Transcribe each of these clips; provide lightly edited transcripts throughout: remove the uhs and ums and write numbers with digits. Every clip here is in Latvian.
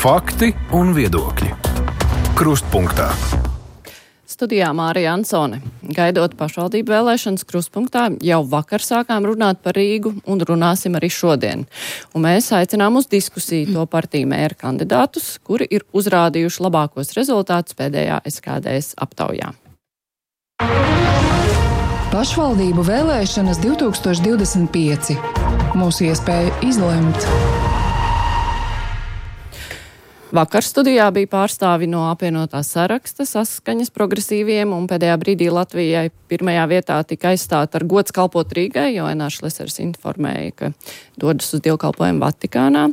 Fakti un viedokļi. Krustpunktā. Studijā Mārija Ansone. Gaidot pašvaldību vēlēšanas Krustpunktā, jau vakar sākām runāt par Rīgu un runāsim arī šodien. Un mēs aicinām uz diskusiju to partiju mēra kandidātus, kuri ir uzrādījuši labākos rezultātus pēdējā SKDS aptaujā. Pašvaldību vēlēšanas 2025. Mūsu iespēja izlemt. Vakar studijā bija pārstāvi no apvienotā saraksta Saskaņas progresīviem, un pēdējā brīdī Latvijai pirmajā vietā tika aizstāta ar gods kalpot Rīgai, jo Enārs Lesers informēja, ka dodas uz dievkalpojumu Vatikānā.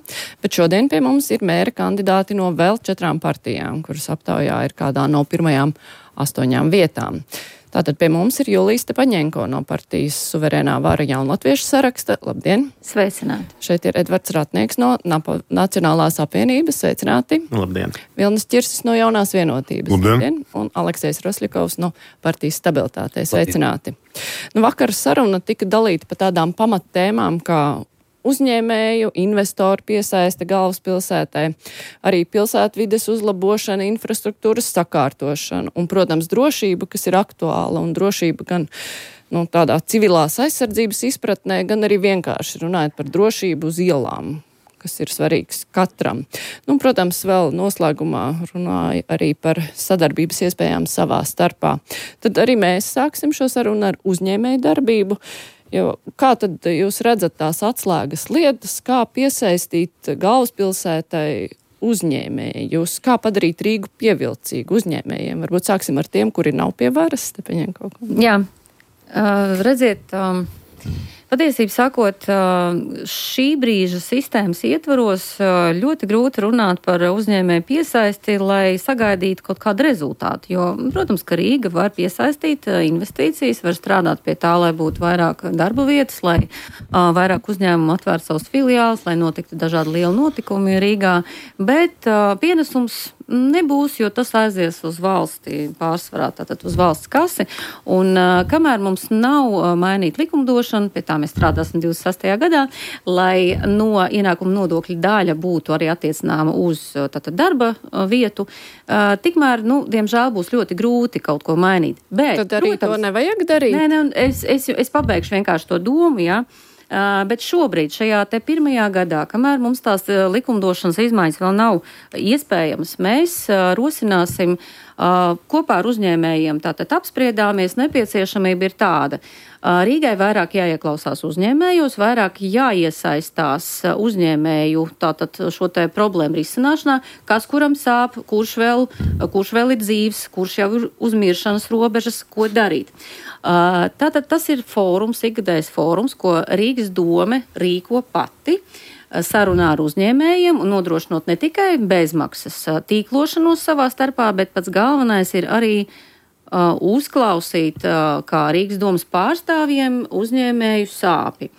Bet šodien pie mums ir mēra kandidāti no vēl 4 partijām, kuras aptaujā ir kādā no pirmajām 8 vietām. Tātad pie mums ir Julija Stepaņenko no partijas Suverēnā vara Jaunlatviešu saraksta. Labdien! Sveicināti! Šeit ir Edvards Ratnieks no Nacionālās apvienības. Sveicināti! Labdien! Vilnis Čirsis no Jaunās vienotības. Labdien! Un Aleksejs Rosļikovs no partijas Stabilitātei. Sveicināti! Nu, vakar saruna tika dalīta pa tādām pamattēmām, kā uzņēmēju, investoru piesaiste galvaspilsētai, arī pilsētvides uzlabošana, infrastruktūras sakārtošana un, protams, drošība, kas ir aktuāla, un drošība gan tādā civilās aizsardzības izpratnē, gan arī vienkārši runājot par drošību uz ielām, kas ir svarīgs katram. Protams, vēl noslēgumā runāja arī par sadarbības iespējām savā starpā. Tad arī mēs sāksim šo sarunu ar uzņēmēju darbību. Jo kā tad jūs redzat tās atslēgas lietas, kā piesaistīt galvaspilsētai uzņēmējus, kā padarīt Rīgu pievilcīgu uzņēmējiem? Varbūt sāksim ar tiem, kuri nav pie varas. Jā, redziet, patiesībā sakot, šī brīža sistēmas ietvaros ļoti grūti runāt par uzņēmēju piesaisti, lai sagaidītu kaut kādu rezultātu. Jo, protams, ka Rīga var piesaistīt investīcijas, var strādāt pie tā, lai būtu vairāk darba vietas, lai vairāk uzņēmumu atvērtu savus filiālus, lai notiktu dažādi lieli notikumi Rīgā. Bet pienesums nebūs, jo tas aizies uz valsti pārsvarā, tātad uz valsts kasi. Un kamēr mums nav mainīta likumdošana, pie tā mēs strādāsim 26. gadā, lai no ienākuma nodokļa daļa būtu arī attiecināma uz tātad darba vietu, tikmēr, diemžēl būs ļoti grūti kaut ko mainīt. Bet, tad arī protams, to nevajag darīt? Nē, es pabeigšu vienkārši to domu, jā. Bet šobrīd, šajā te pirmajā gadā, kamēr mums tās likumdošanas izmaiņas vēl nav iespējamas, mēs rosināsim kopā ar uzņēmējiem, tātad apspriedāmies, nepieciešamība ir tāda. Rīgai vairāk jāieklausās uzņēmējos, vairāk jāiesaistās uzņēmēju tātad šo te problēmu risināšanā, kas kuram sāp, kurš vēl ir dzīves, kurš jau ir uz miršanas robežas, ko darīt. Tātad tas ir fórums, ikgadējs fórums, ko Rīgas dome rīko pati, sarunā ar uzņēmējiem un nodrošinot ne tikai bezmaksas tīklošanos savā starpā, bet pats galvenais ir arī uzklausīt kā Rīgas domas pārstāvjiem uzņēmēju sāpi.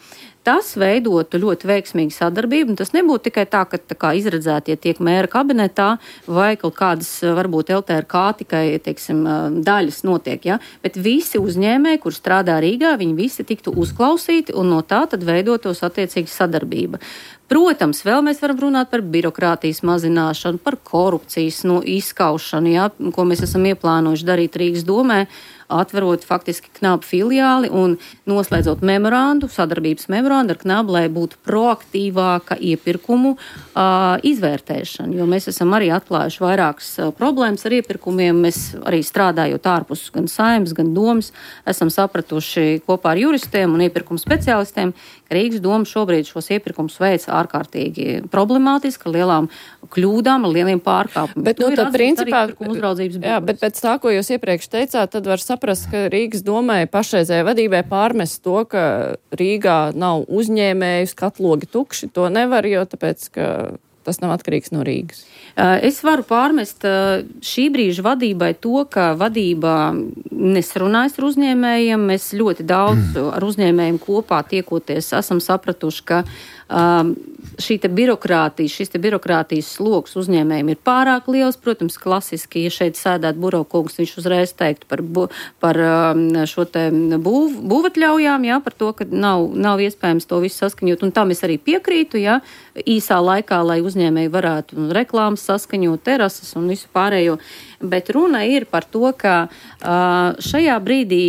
Tas veidotu ļoti veiksmīgu sadarbību, un tas nebūtu tikai tā, ka tā kā izredzētie tiek mēra kabinetā vai kaut kādas, varbūt LTRK tikai, daļas notiek, ja? Bet visi uzņēmēji, kur strādā Rīgā, viņi visi tiktu uzklausīti, un no tā tad veidotos attiecīgi sadarbība. Protams, vēl mēs varam runāt par birokrātijas mazināšanu, par korupcijas izskaušanu, ja, ko mēs esam ieplānojuši darīt Rīgas domē, atverot faktiski Knabu filiāli un noslēdzot sadarbības memorandu ar Knabu, lai būtu proaktīvāka iepirkumu izvērtēšana. Jo mēs esam arī atklājuši vairākas problēmas ar iepirkumiem. Mēs arī strādājot ārpus gan Saeimas, gan domas, esam sapratuši kopā ar juristiem un iepirkumu speciālistiem, ka Rīgas doma šobrīd šos iepirkumus veic ārkārtīgi problemātiski, ar lielām kļūdām, ar lieliem pārkāpumiem. Bet, principā, bet pēc tā, ko jūs iepriekš teicāt, tad var saprast, ka Rīgas domai pašreizējai vadībai pārmest to, ka Rīgā nav uzņēmēju, skatlogi tukši, to nevar, jo tāpēc, ka tas nav atkarīgs no Rīgas. Es varu pārmest šī brīža vadībai to, ka vadībā nesarunājas ar uzņēmējiem. Mēs ļoti daudz ar uzņēmējiem kopā tiekoties esam sapratuši, ka šis birokrātijas sloks uzņēmējiem ir pārāk liels. Protams, klasiski, ja šeit sēdētu Burokungs, viņš uzreiz teiktu par šo te būvatļaujām, jā, par to, ka nav iespējams to visu saskaņot. Un tam es arī piekrītu, jā, īsā laikā, lai uzņēmēji varētu reklāmas saskaņot, terases un visu pārējo. Bet runa ir par to, ka šajā brīdī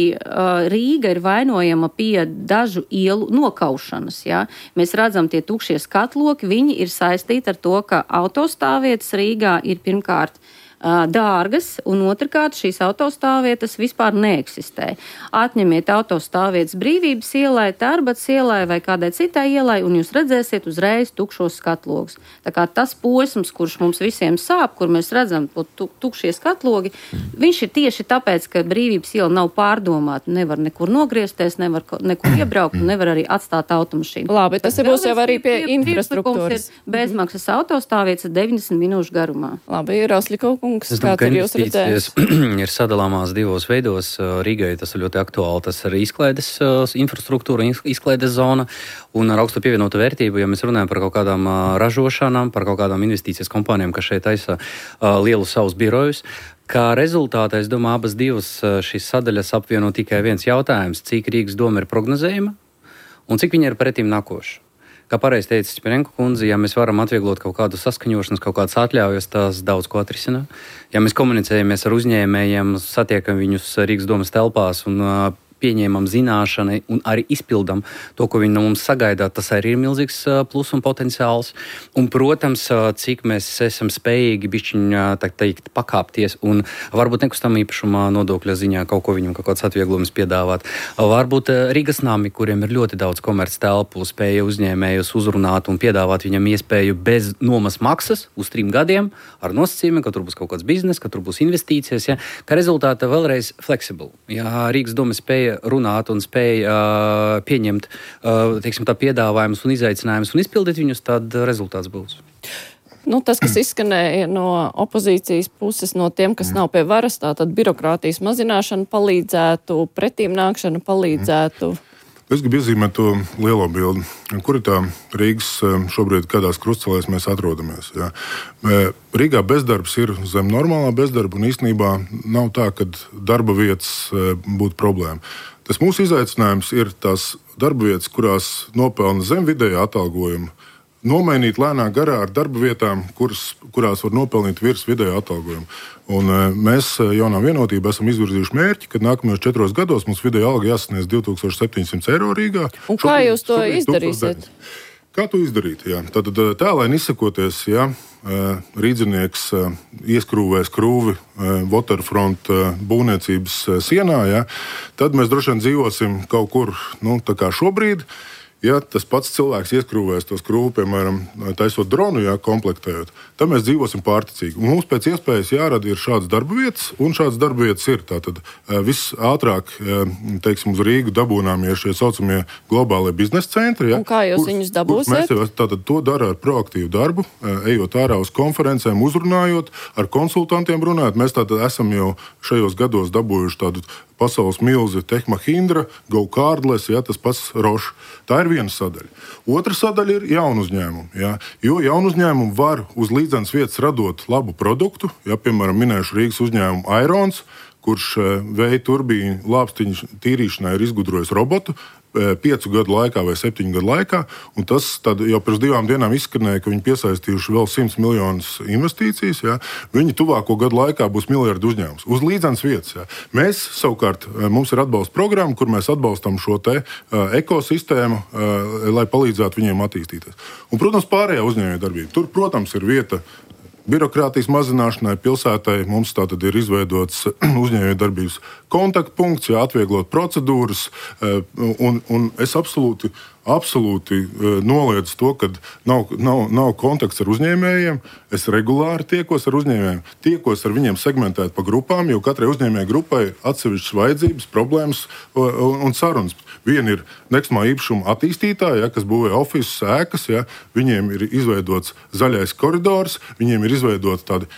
Rīga ir vainojama pie dažu ielu nokaušanas. Ja? Mēs redzam tie tukšie skatloki, viņi ir saistīti ar to, ka autostāvvietas Rīgā ir pirmkārt dārgas, un otrkārt šīs autostāvvietas vispār neeksistē. Atņemiet autostāvvietas Brīvības ielai, Tērbats ielai vai kādai citai ielai, un jūs redzēsiet uzreiz tukšos skatlogus. Tā kā tas posms, kurš mums visiem sāp, kur mēs redzam tukšie skatlogi, viņš ir tieši tāpēc, ka Brīvības iela nav pārdomāta, nevar nekur nogriezties, nevar nekur iebraukt, nevar arī atstāt automašīnu. Labi, tas būs jau arī pie infrastruktūras. Bezmaksas autostāvvietas 90 minūšu garumā. Labi, Roslikov kungs, Es domāju, ka investīcijas ir sadalāmās divos veidos. Rīgai tas ir ļoti aktuāli. Tas ir izklaides infrastruktūra, izklaides zona un ar augstu pievienotu vērtību, ja mēs runājam par kaut kādām ražošanām, par kaut kādām investīcijas kompānijām, kas šeit taisa lielu savus birojus. Kā rezultātā, es domāju, abas divas šīs sadaļas apvieno tikai viens jautājums, cik Rīgas doma ir prognozējama un cik viņa ir pretīm nākoša. Kā pareizi teica Čipirenko kundze, ja mēs varam atvieglot kaut kādu saskaņošanas, kaut kādas atļaujas, tās daudz ko atrisina. Ja mēs komunicējamies ar uzņēmējiem, satiekam viņus Rīgas domas telpās un pieņēmam zināšanu un arī izpildam to, ko viņi no mums sagaida, tas arī ir milzīgs plus un potenciāls. Un, protams, cik mēs esam spējīgi bišķiņ, tā teikt, pakāpties un varbūt nekustamā īpašumā nodokļa ziņā kaut ko viņam, kaut kāds atvieglojums piedāvāt. Varbūt Rīgas nami, kuriem ir ļoti daudz komerc telpu, spēja uzņēmējus uzrunāt un piedāvāt viņam iespēju bez nomas maksas uz 3 gadiem ar nosacījumiem, ka tur būs kaut kāds biznes, ka tur būs investīcijas, ja, ka rezultātā vēlreiz flexible. Ja Rīgas doma spēja runāt un spēja pieņemt, teiksim, tā piedāvājumus un izaicinājumus un izpildīt viņus, tad rezultāts būs. Nu, tas, kas izskanēja no opozīcijas puses, no tiem, kas nav pie varas, tātad birokrātijas mazināšana palīdzētu, pretīm nākšana palīdzētu. Es gribu iezīmēt to lielo bildi. Kur ir tā Rīgas šobrīd, kādās krustcelēs mēs atrodamies? Ja? Rīgā bezdarbs ir zem normālā bezdarba, un īstenībā nav tā, ka darba vietas būtu problēma. Tas mūsu izaicinājums ir tās darba vietas, kurās nopelna zem vidējā atalgojuma, nomainīt lēnā garā ar darba vietām, kurās var nopelnīt virs vidējā atalgojuma. Un mēs Jaunā Vienotība esam izvirzījuši mērķi, ka nākamajos 4 gados mums vidēja alga jāsasniedz 2700 eiro Rīgā. Un kā jūs to izdarīsiet? Kā to izdarīt? Jā? Tad tēlaini izsakoties, ja rīdzinieks ieskrūvēs krūvi Waterfront būvniecības sienā, ja, tad mēs droši vien dzīvosim kaut kur, tā kā šobrīd. Ja tas pats cilvēks ieskrūvēs to skrūvi, piemēram, taisot dronu, komplektējot, tad mēs dzīvosim pārticīgi. Un mums pēc iespējas jārada ir šādas darba vietas, un šādas darba vietas ir. Tātad visātrāk, teiksim, uz Rīgu dabūnāmie šie saucamie globālie biznesa centri. Ja, un kā jūs viņus dabūsiet? Mēs tātad to dara ar proaktīvu darbu, ejot ārā uz konferencēm, uzrunājot, ar konsultantiem runājot. Mēs tātad esam jau šajos gados dabūjuši tādu pasaules milzi Tehmahindra, GoCardless, ja, tas pats Roche. Tā ir viena sadaļa. Otra sadaļa ir jaunu uzņēmumu. Ja, jo jaunu uzņēmumu var uz līdzenas vietas radot labu produktu. Ja, piemēram, minēšu Rīgas uzņēmumu Airons, kurš vēja turbīnu lāpstiņu tīrīšanai ir izgudrojis robotu 5 gadu laikā vai 7 gadu laikā. Un tas jau pirms 2 dienām izskanēja, ka viņi piesaistījuši vēl 100 miljonus investīcijas. Ja. Viņi tuvāko gadu laikā būs miljardu uzņēmums. Uz līdzenas vietas. Ja. Mēs savukārt, mums ir atbalsta programma, kur mēs atbalstam šo te ekosistēmu, lai palīdzētu viņiem attīstīties. Un, protams, pārējā uzņēmējdarbība. Tur, protams, ir vieta birokrātijas mazināšanai pilsētai. Mums tātad ir izveidots uzņēmējdarbības kontaktpunkts, atvieglot procedūras, un es absolūti noliedzu to, ka nav kontakts ar uzņēmējiem. Es regulāri tiekos ar uzņēmējiem, tiekos ar viņiem segmentēt pa grupām, jo katrai uzņēmēja grupai ir atsevišķas vajadzības, problēmas un sarunas. Viena ir nekustamā īpašuma attīstītāja, kas būvē ofisus, ēkas, viņiem ir izveidots zaļais koridors, viņiem ir izveidota tāda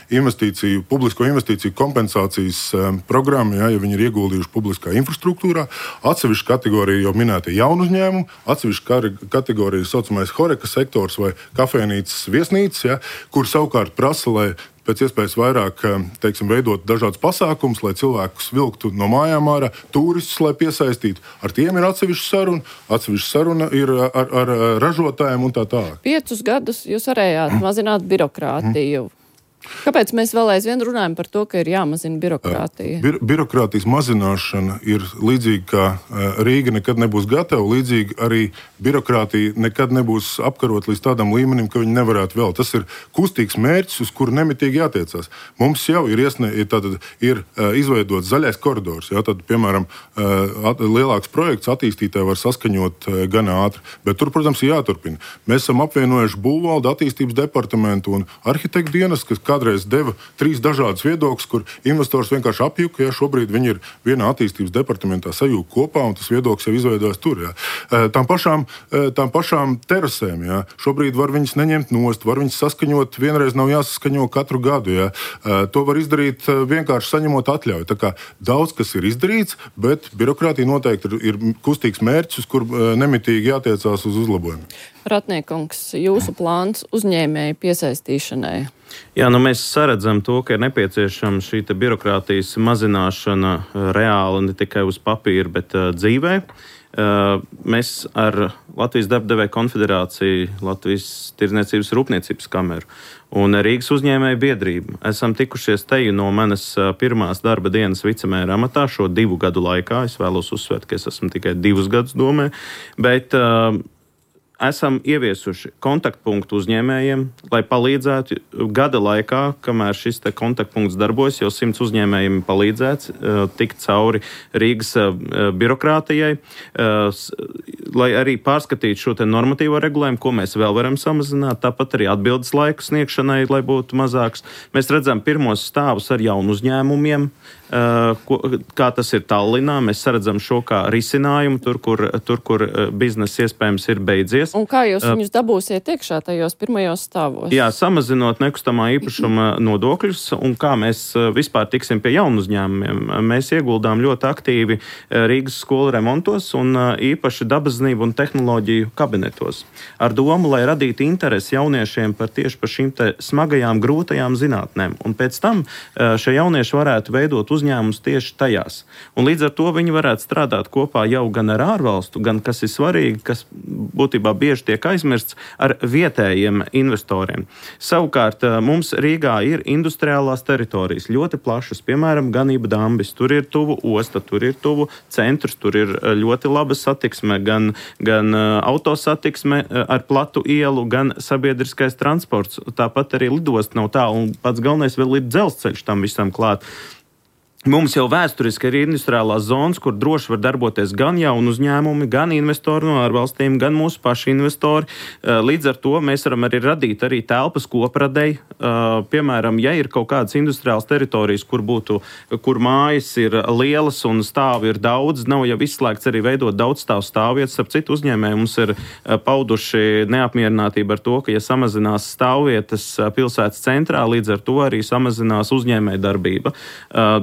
publisko investīciju kompensācijas programma, ja viņi ir ieguldījuši publiskā infrastruktūrā. Atsevišķa kategorija jau minēta jaunu uzņēmumu, atsevišķa atsevišķa kategorija saucamais horeka sektors vai kafejnīcas viesnīcas, ja, kur savukārt prasa, lai pēc iespējas vairāk, teiksim, veidot dažādas pasākumus, lai cilvēkus vilktu no mājām ārā, turistus, lai piesaistītu. Ar tiem ir atsevišķa saruna ir ar ražotājiem un tā tālāk. 5 gadus jūs varējāt mazināt birokrātiju. Kāpēc mēs vēl aizvien runājam par to, ka ir jāmazina birokrātija? Birokrātijas mazināšana ir līdzīga, kā Rīga nekad nebūs gatava, līdzīgi arī birokrātija nekad nebūs apkarot līdz tādam līmenim, ka viņi nevarētu vēl. Tas ir kustīgs mērķis, uz kuru nemitīgi jātiecās. Mums jau ir izveidots zaļais koridors. Jā, tad, piemēram, lielāks projekts attīstītāji var saskaņot gan ātri, bet tur, protams, ir jāturpina. Mēs esam apvienojuši būvvaldu, attīstības departamentu un arhitektu dienas, kas kādreiz deva 3 dažādas viedokļus, kur investors vienkārši apjuka, ja šobrīd viņi ir vienā attīstības departamentā sajūta kopā, un tas viedoklis jau izveidojas tur. Ja. Tām pašām terasēm, ja. Šobrīd var viņas neņemt nost, var viņas saskaņot, vienreiz nav jāsaskaņo katru gadu. Ja. To var izdarīt vienkārši saņemot atļauju. Tā kā daudz kas ir izdarīts, bet birokrātija noteikti ir kustīgs mērķis, uz kur nemitīgi jātiecās uz uzlabojumu. Ratniekungs, jūsu plāns uzņēmēju piesaistīšanai? Jā, mēs saredzam to, ka ir nepieciešama šī birokrātijas mazināšana reāli ne tikai uz papīra, bet dzīvē. Mēs ar Latvijas darba devēju konfederāciju, Latvijas tirdzniecības rūpniecības kameru un Rīgas uzņēmēju biedrību esam tikušies te no manas pirmās darba dienas vicemēra amatā šo 2 gadu laikā. Es vēlos uzsvērt, ka es esmu tikai 2 gadus domē, bet esam ieviesuši kontaktpunktu uzņēmējiem, lai palīdzētu gada laikā, kamēr šis kontaktpunkts darbojas, jau 100 uzņēmējiem palīdzēts tikt cauri Rīgas birokrātijai, lai arī pārskatītu šo normatīvo regulējumu, ko mēs vēl varam samazināt, tāpat arī atbildes laiku sniegšanai, lai būtu mazāks. Mēs redzam pirmos stāvus ar jaunu uzņēmumiem, kā tas ir Tallinā. Mēs saredzam šo kā risinājumu tur, kur biznesa iespējams ir beidzies. Un kā jūs viņus dabūsiet iekšā tajos pirmajos stāvos? Jā, samazinot nekustamā īpašuma nodokļus, un kā mēs vispār tiksim pie jaunu uzņēmumiem. Mēs ieguldām ļoti aktīvi Rīgas skolu remontos un īpaši dabaszinību un tehnoloģiju kabinetos. Ar domu, lai radītu interesi jauniešiem tieši par šīm smagajām, grūtajām zinātnēm. Un pēc tam šie jaunieši varētu veidot uzņēmumus tieši tajās. Un līdz ar to viņi varētu strādāt kopā jau gan ar ārvalstu, gan, kas ir svarīgi, kas būtībā bieži tiek aizmirsts, ar vietējiem investoriem. Savukārt mums Rīgā ir industriālās teritorijas, ļoti plašas, piemēram, ganība Dambis. Tur ir tuvu osta, tur ir tuvu centrs, tur ir ļoti laba satiksme, gan autosatiksme ar platu ielu, gan sabiedriskais transports. Tāpat arī lidost nav tā, un pats galvenais vēl ir dzelzceļš tam visam klāt. Mums jau vēsturiski ir industriālās zonas, kur droši var darboties gan jaunu uzņēmumi, gan investori no ārvalstīm, gan mūsu paši investori. Līdz ar to mēs varam arī radīt arī telpas kopradei. Piemēram, ja ir kaut kādas industriālas teritorijas, kur mājas ir lielas un stāvi ir daudz, nav jau izslēgts arī veidot daudz stāvu stāvvietas. Ar citu uzņēmēju mums ir pauduši neapmierinātību ar to, ka ja samazinās stāvvietas pilsētas centrā, līdz ar to arī samazinās uzņēmēja darbība.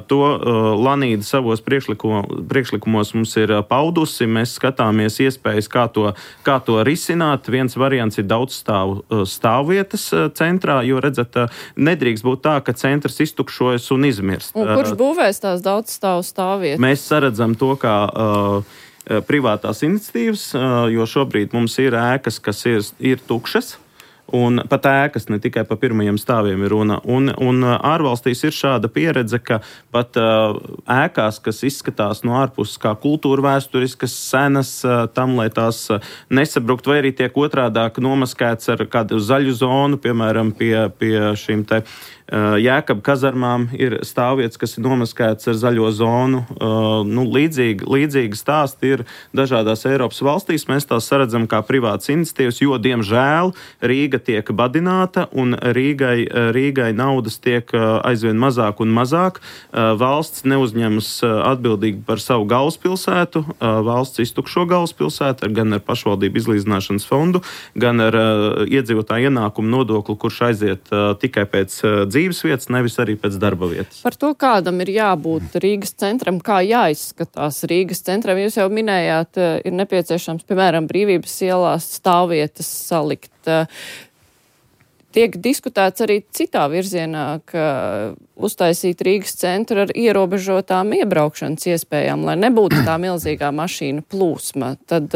To Lanīda savos priekšlikumos mums ir paudusi. Mēs skatāmies iespējas, kā to risināt. Viens variants ir daudz stāvvietas centrā, jo, redzat, nedrīkst būt tā, ka centrs iztukšojas un izmirst. Un kurš būvēs tās daudz stāvvietas? Mēs saredzam to, kā privātās iniciatīvas, jo šobrīd mums ir ēkas, kas ir tukšas. Un pat ēkas, ne tikai pa pirmajiem stāviem ir runa. Un ārvalstīs ir šāda pieredze, ka pat ēkās, kas izskatās no ārpuses kā kultūra vēsturiskas, senas, tam, lai tās nesabrukt, vai arī tiek otrādāk nomaskēts ar kādu zaļu zonu, piemēram, pie šīm te Jēkaba kazarmām ir stāvvietas, kas ir nomaskētas ar zaļo zonu. Līdzīgi stāsti ir dažādās Eiropas valstīs. Mēs tās saredzam kā privātas iniciatīvas, jo, diemžēl, Rīga tiek badināta un Rīgai naudas tiek aizvien mazāk un mazāk. Valsts neuzņemas atbildīgi par savu galvaspilsētu. Valsts iztukšo galvaspilsētu gan ar pašvaldību izlīdzināšanas fondu, gan ar iedzīvotāju ienākumu nodokli, kurš aiziet tikai pēc dzīves vietas, nevis arī pēc darba vietas. Par to, kādam ir jābūt Rīgas centram, kā jāizskatās Rīgas centram, jūs jau minējāt, ir nepieciešams, piemēram, Brīvības ielās stāvvietas salikt. Tiek diskutēts arī citā virzienā, ka uztaisīt Rīgas centru ar ierobežotām iebraukšanas iespējām, lai nebūtu tā milzīgā mašīnu plūsma. Tad,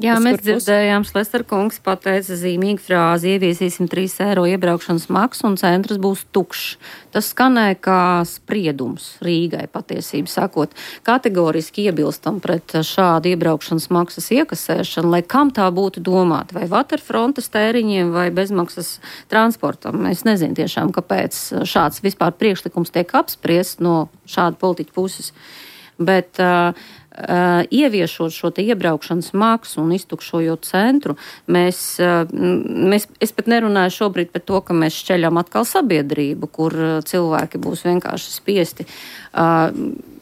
jā, mēs dzirdējām, Šlester kungs pateica zīmīgu frāzi, ieviesīsim 3 eiro iebraukšanas maksu un centrs būs tukšs. Tas skanēja kā spriedums Rīgai, patiesību sakot. Kategoriski iebilstam pret šādu iebraukšanas maksas iekasēšanu, lai kam tā būtu domāta, vai waterfrontes tēriņiem, vai bezmaksas transportam. Es nezinu tiešām, kāpēc šāds vispār priekšlikums tiek apspriests no šāda politiķa puses. Bet ieviešot šo te iebraukšanas maksu un iztukšojot centru, es pat nerunāju šobrīd par to, ka mēs šķeļam atkal sabiedrību, kur cilvēki būs vienkārši spiesti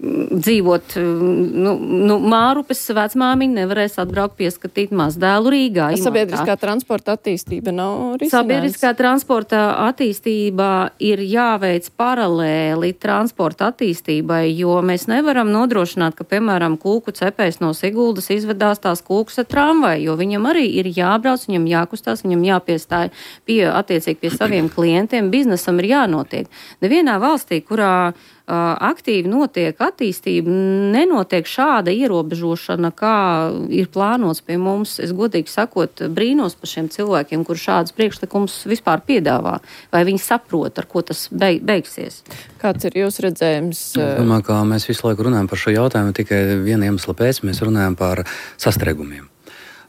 dzīvot, Mārupes vecmāmiņa nevarēs atbraukt pieskatīt mazdēlu Rīgā. Sabiedriskā transporta attīstība nav risinājums. Sabiedriskā transporta attīstība ir jāveic paralēli transporta attīstībai, jo mēs nevaram nodrošināt, ka, piemēram, kūku cepējs no Siguldas izvedās tās kūkas ar tramvaju, jo viņam arī ir jābrauc, viņam jākustās, viņam jāpiestāj attiecīgi pie saviem klientiem, biznesam ir jānotiek. Nevienā valstī, kurā aktīvi notiek attīstība, nenotiek šāda ierobežošana, kā ir plānots pie mums. Es godīgi sakot, brīnos par šiem cilvēkiem, kur šādas priekšlikums vispār piedāvā. Vai viņi saprot, ar ko tas beigsies? Kāds ir jūsu redzējums? Es domāju, ka mēs visu laiku runājam par šo jautājumu, tikai viena iemesla pēc mēs runājam par sastrēgumiem.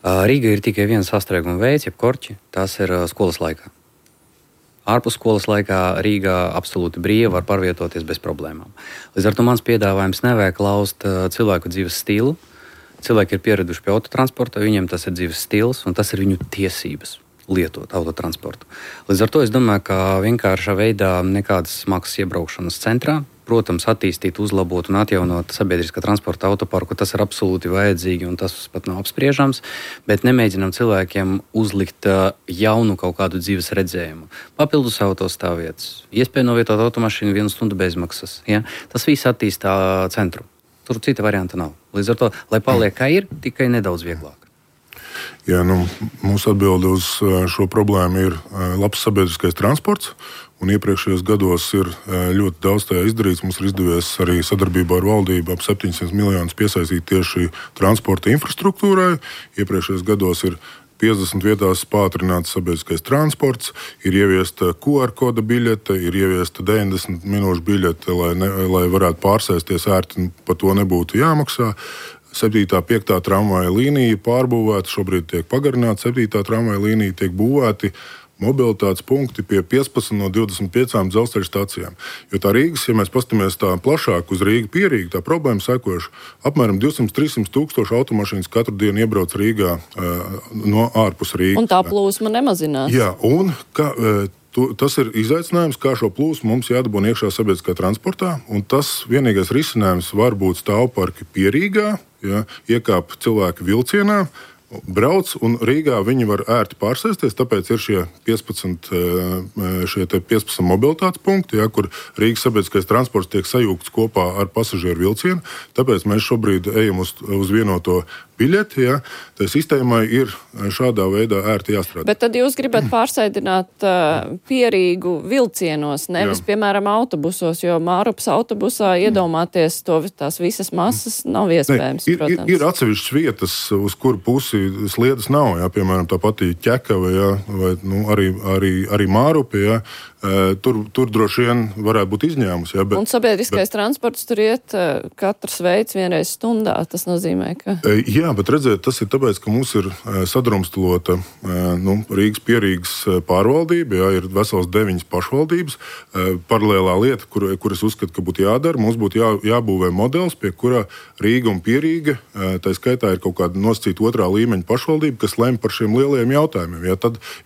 Rīga ir tikai viens sastrēguma veids, jeb korķi, tas ir skolas laikā. Ārpus skolas laikā Rīgā absolūti brīvi var pārvietoties bez problēmām. Līdz ar to mans piedāvājums nevajag laust cilvēku dzīves stilu. Cilvēki ir pieraduši pie autotransporta, viņiem tas ir dzīves stils un tas ir viņu tiesības lietot autotransportu. Līdz ar to es domāju, ka vienkāršā veidā nekādas maksas iebraukšanas centrā, protams, attīstīt, uzlabot un atjaunot sabiedriskā transporta autoparku, tas ir absolūti vajadzīgi un tas pat nav apspriežams, bet nemēģinām cilvēkiem uzlikt jaunu kaut kādu dzīves redzējumu. Papildus autostāvvietas, iespēja novietot automašīnu 1 stundu bezmaksas. Ja? Tas viss attīstā centru. Tur cita varianta nav. Līdz ar to, lai paliek kā ir, tikai nedaudz vieglāk. Jā, mūsu atbilde uz šo problēmu ir labs sabiedriskais transports. Un iepriekšējos gados ir ļoti daudz tajā izdarīts. Mums ir izdevies arī sadarbībā ar valdību ap 700 miljonus piesaistīt tieši transporta infrastruktūrai. Iepriekšējos gados ir 50 vietās pātrināts sabiedriskais transports, ir ieviesta QR koda biļete, ir ieviesta 90 minūšu biļete, lai varētu pārsēsties ērti, par to nebūtu jāmaksā. 7. 5. tramvaja līnija pārbūvēta, šobrīd tiek pagarināta 7. tramvaja līnija, tiek būvēti mobilitātes punkti pie 15 no 25 dzelzceļa stacijām. Jo tā Rīgas, ja mēs paskatāmies tā plašāk uz Rīgu pierīgu, tā problēma sekojuši. Apmēram 200-300 tūkstoši automašīnas katru dienu iebrauc Rīgā no ārpus Rīgas. Un tā plūsma nemazinās. Jā, un tas ir izaicinājums, kā šo plūsmu mums jādabūna iekšā sabiedriskā transportā, un tas vienīgais risinājums var būt stāvparki pie Rīgā, ja, iekāp cilvēki vilcienā, brauc, un Rīgā viņi var ērti pārsēsties, tāpēc ir šie 15 mobilitātes punkti, ja, kur Rīgas sabiedriskais transports tiek sajūgts kopā ar pasažieru vilcienu. Tāpēc mēs šobrīd ejam uz vienoto biļeti. Ja. Tā sistēmai ir šādā veidā ērti jāstrādā. Bet tad jūs gribat pārsēdināt pierīgu vilcienos, nevis, piemēram, autobusos, jo Mārupas autobusā iedomāties tās visas masas nav iespējams, protams. Ir atsevišķas vietas, uz kuru pusi sliedas nav, ja, piemēram, tā pati Ķekava, ja, vai arī Mārupi, ja, tur droši vien varētu būt izņēmums. Ja, un sabiedriskais transports tur iet katrs veids vienreiz stundā. Tas nozīmē, ka... Jā, bet redziet, tas ir tāpēc, ka mums ir sadrumstalota Rīgas Pierīgas pārvaldība, jā, ir vesels 9 pašvaldības. Paralēlā lieta, kur es uzskatu, ka būtu jādara, mums būtu jābūvē modelis, pie kurā Rīga un Pierīga, tā skaitā ir kaut kāda nosacīta 2. līmeņa pašvaldība, kas lem par šiem lielajiem jautājumiem. Ja,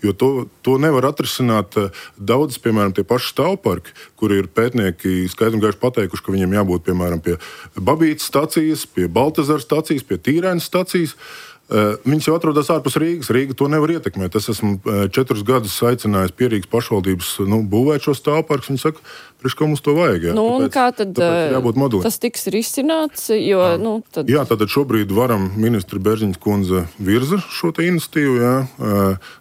jo to nevar atrisināt daudzas, piemēram, tie paši stāvparki, kur ir pētnieki skaidri un gaiši pateikuši, ka viņiem jābūt, piemēram, pie Babītas stacijas, pie Baltazara stacijas, pie Tīrēnas stacijas. Viņas jau atrodas ārpus Rīgas. Rīga to nevar ietekmēt. Es esmu 4 gadus aicinājis Pierīgas pašvaldības būvēt šo stāvparkus. Viņi saka, priekš, kā mums to vajag. Jā. Kā tad tas tiks risināts? Jo, tad... Jā, tātad šobrīd varam ministra Berziņas kundze virza šo te iniciatīvu. Jā.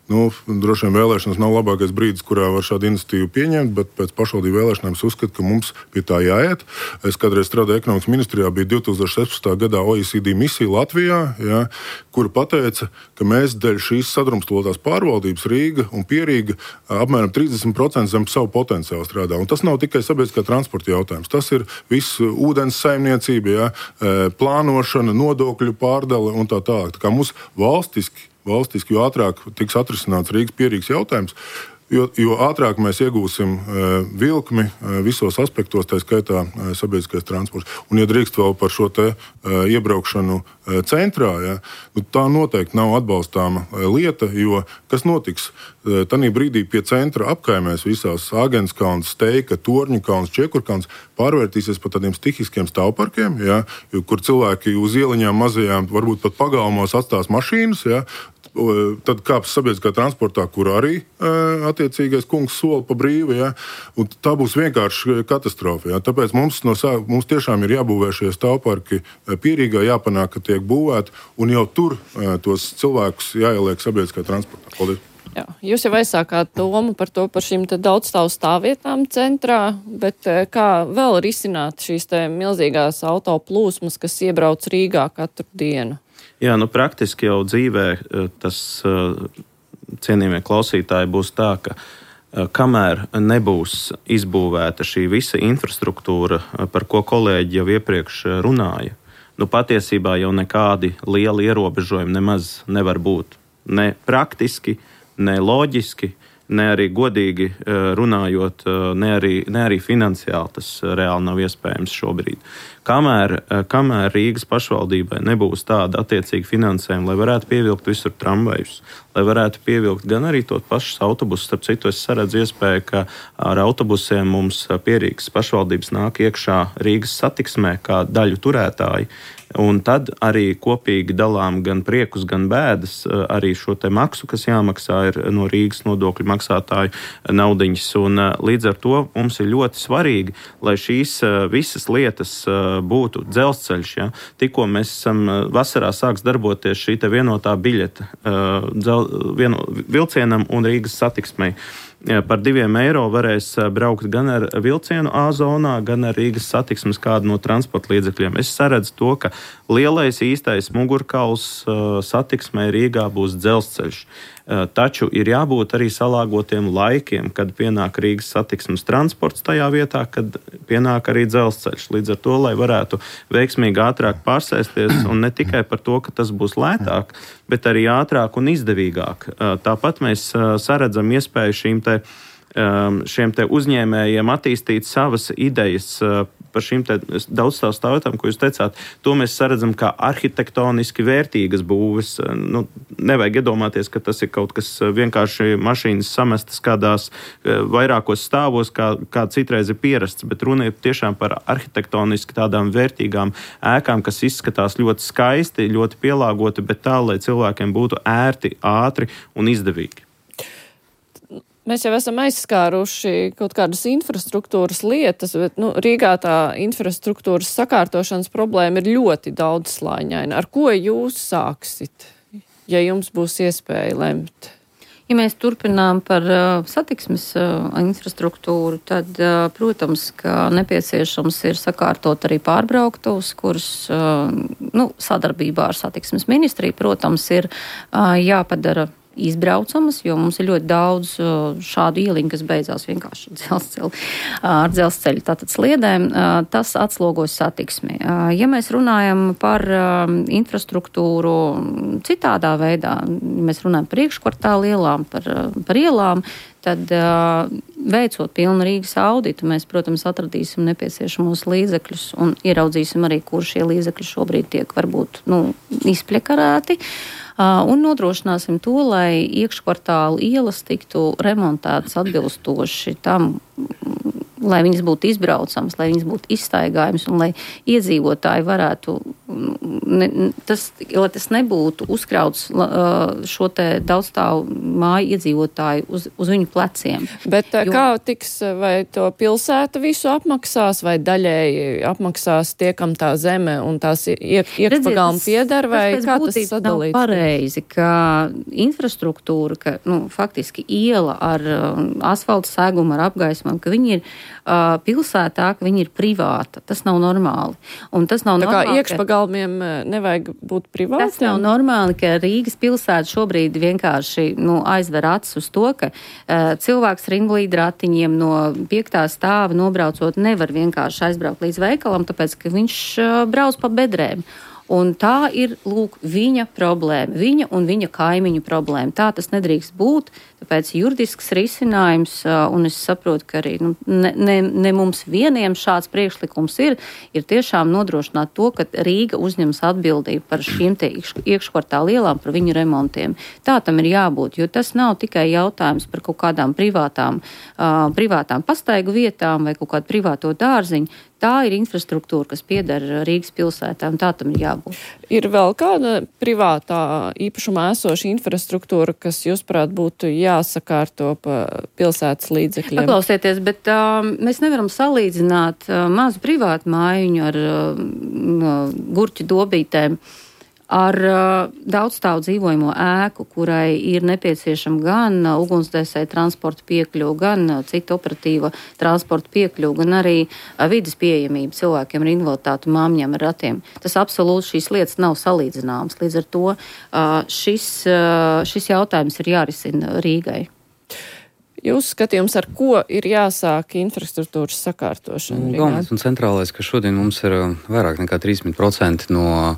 Droši vien vēlēšanas nav labākais brīdis, kurā var šādu iniciatīvu pieņemt, bet pēc pašvaldību vēlēšanām es uzskatu, ka mums pie tā jāiet. Es kādreiz strādāju ekonomikas ministrijā, bija 2016. gadā OECD misija Latvijā, jā, kura pateica, ka mēs dēļ šīs sadrumstalotās pārvaldības Rīga un Pierīga apmēram 30% zem savu potenciālu strādā. Un tas nav tikai sabiedriskā transporta jautājums. Tas ir viss ūdens saimniecība, jā, plānošana, nodokļu pārdale un tā tālāk. Tā kā mums valstiski, jo ātrāk tiks atrisināts Rīgas Pierīgas jautājums, jo ātrāk mēs iegūsim vilkmi visos aspektos, tā skaitā sabiedriskais transports. Un, ja drīkst vēl par šo te iebraukšanu centrā, ja, tā noteikti nav atbalstāma lieta, jo kas notiks? Tanī brīdī pie centra apkaimēs visās Āgenskalns, Steika, Torņakalns, Čiekurkalns pārvērtīsies par tādiem stihiskiem stāvparkiem, ja, kur cilvēki uz ieliņām mazajām, varbūt pat pagalmos atstās mašīnas, ja, tad kāps sabiedriskā transportā, kur arī attiecīgais kungs sola pa brīvi, ja, un tā būs vienkārši katastrofa. Ja. Tāpēc mums tiešām ir jābūvē šie stāvparki Pierīgā, jāpanāk, ka tiek būvēti, un jau tur tos cilvēkus jāieliek sabiedriskā transportā. Paldies! Jā, jūs jau aizsākāt domu par šīm daudzstāvu stāvvietām centrā, bet kā vēl risināt šīs milzīgās autoplūsmas, kas iebrauc Rīgā katru dienu? Jā, praktiski jau dzīvē tas, cienījamie klausītāji, būs tā, ka kamēr nebūs izbūvēta šī visa infrastruktūra, par ko kolēģi jau iepriekš runāja, patiesībā jau nekādi lieli ierobežojumi nemaz nevar būt. Ne praktiski, ne loģiski, ne arī godīgi runājot, ne arī finansiāli tas reāli nav iespējams šobrīd. Kamēr Rīgas pašvaldībai nebūs tāda attiecīga finansējuma, lai varētu pievilkt visur tramvajus, lai varētu pievilkt gan arī tos pašus autobusus. Starp citu, es saredzu iespēju, ka ar autobusiem mums pie Rīgas pašvaldības nāk iekšā Rīgas satiksmē kā daļu turētāji. Un tad arī kopīgi dalām gan priekus, gan bēdas, arī šo te maksu, kas jāmaksā ir no Rīgas nodokļu maksātāju naudiņas. Un līdz ar to mums ir ļoti svarīgi, lai šīs visas lietas būtu dzelzceļš. Ja? Tikko mēs esam vasarā sāks darboties šī te vienotā biļeta vilcienam un Rīgas satiksmei. Par 2 eiro varēs braukt gan ar vilcienu A zonā, gan ar Rīgas satiksmes kādu no transporta līdzekļiem. Es saredzu to, ka lielais īstais mugurkauls satiksmē Rīgā būs dzelzceļš. Taču ir jābūt arī salāgotiem laikiem, kad pienāk Rīgas satiksmes transports tajā vietā, kad pienāk arī dzelzceļš. Līdz ar to, lai varētu veiksmīgi ātrāk pārsēsties, un ne tikai par to, ka tas būs lētāk, bet arī ātrāk un izdevīgāk. Tāpat mēs saredzam iespēju šiem te uzņēmējiem attīstīt savas idejas par šīm te daudzstāvu stāvvietām, ko jūs teicāt. To mēs saredzam kā arhitektoniski vērtīgas būves. Nevajag iedomāties, ka tas ir kaut kas vienkārši mašīnas samestas kādās vairākos stāvos, kā citreiz ir pierasts, bet runa ir tiešām par arhitektoniski tādām vērtīgām ēkām, kas izskatās ļoti skaisti, ļoti pielāgoti, bet tā, lai cilvēkiem būtu ērti, ātri un izdevīgi. Mēs jau esam aizskāruši kaut kādas infrastruktūras lietas, bet Rīgā tā infrastruktūras sakārtošanas problēma ir ļoti daudzslāņaina. Ar ko jūs sāksit, ja jums būs iespēja lemt? Ja mēs turpinām par satiksmes infrastruktūru, tad, protams, ka nepieciešams ir sakārtot arī pārbrauktuvus, kurus sadarbībā ar satiksmes ministriju, protams, ir jāpadara izbraucamas, jo mums ir ļoti daudz šādu ieliņu, kas beidzās vienkārši ar dzelzceļu tātad sliedēm. Tas atslogos satiksmi. Ja mēs runājam par infrastruktūru citādā veidā, mēs runājam par iekškvartālu ielām, par ielām, tad veicot pilnu Rīgas auditu, mēs, protams, atradīsim nepieciešamos līdzekļus un ieraudzīsim arī, kur šie līdzekļi šobrīd tiek varbūt izpļakarēti. Un nodrošināsim to, lai iekškvartālu ielas tiktu remontētas atbilstoši tam, lai viņas būtu izbraucamas, lai viņas būtu izstaigājamas un lai iedzīvotāji varētu, lai tas nebūtu uzkrauts šo te daudzstāvu māju iedzīvotāju uz viņu pleciem. Bet kā tiks, vai to pilsēta visu apmaksās, vai daļēji apmaksās tie, kam tā zeme un tās iekšpagalma pieder, vai kā tas sadalīts? Nav pareizi, ka infrastruktūra, ka faktiski iela ar asfalta segumu, ar apgaismam, ka viņi ir pilsētā, ka viņi ir privāta. Tas nav normāli. Un tas nav tā normāli, kā iekšpagalmiem nevajag būt privātiem? Tas nav normāli, ka Rīgas pilsēta šobrīd vienkārši aizver acis uz to, ka cilvēks ar invalīdu ratiņiem no 5. stāva nobraucot nevar vienkārši aizbraukt līdz veikalam, tāpēc, ka viņš brauc pa bedrēm. Un tā ir, viņa problēma, viņa un viņa kaimiņu problēma. Tā tas nedrīkst būt, tāpēc juridisks risinājums, un es saprotu, ka arī ne mums vieniem šāds priekšlikums ir tiešām nodrošināt to, ka Rīga uzņems atbildību par šīm te iekškvartālu ielām, par viņu remontiem. Tā tam ir jābūt, jo tas nav tikai jautājums par kaut kādām privātām pastaigu vietām vai kaut kādu privāto dārziņu. Tā ir infrastruktūra, kas pieder Rīgas pilsētā, un tā tam ir jābūt. Ir vēl kāda privātā īpašumā esoša infrastruktūra, kas, jūsuprāt, būtu jāsakārto pa pilsētas līdzekļiem? Paklausieties, bet mēs nevaram salīdzināt mazu privātu mājiņu ar gurķu dobītēm ar daudzstāvu dzīvojamo ēku, kurai ir nepieciešama gan ugunsdzēsēja transporta piekļuva, gan cita operatīva transporta piekļuva, gan arī vides pieejamība cilvēkiem ar invaliditāti, māmiņām ar ratiem. Tas absolūti šīs lietas nav salīdzināmas. Līdz ar to šis jautājums ir jārisina Rīgai. Jūs skatījums, ar ko ir jāsāk infrastruktūras sakārtošana? Galvenais un centrālais, ka šodien mums ir vairāk nekā 30% no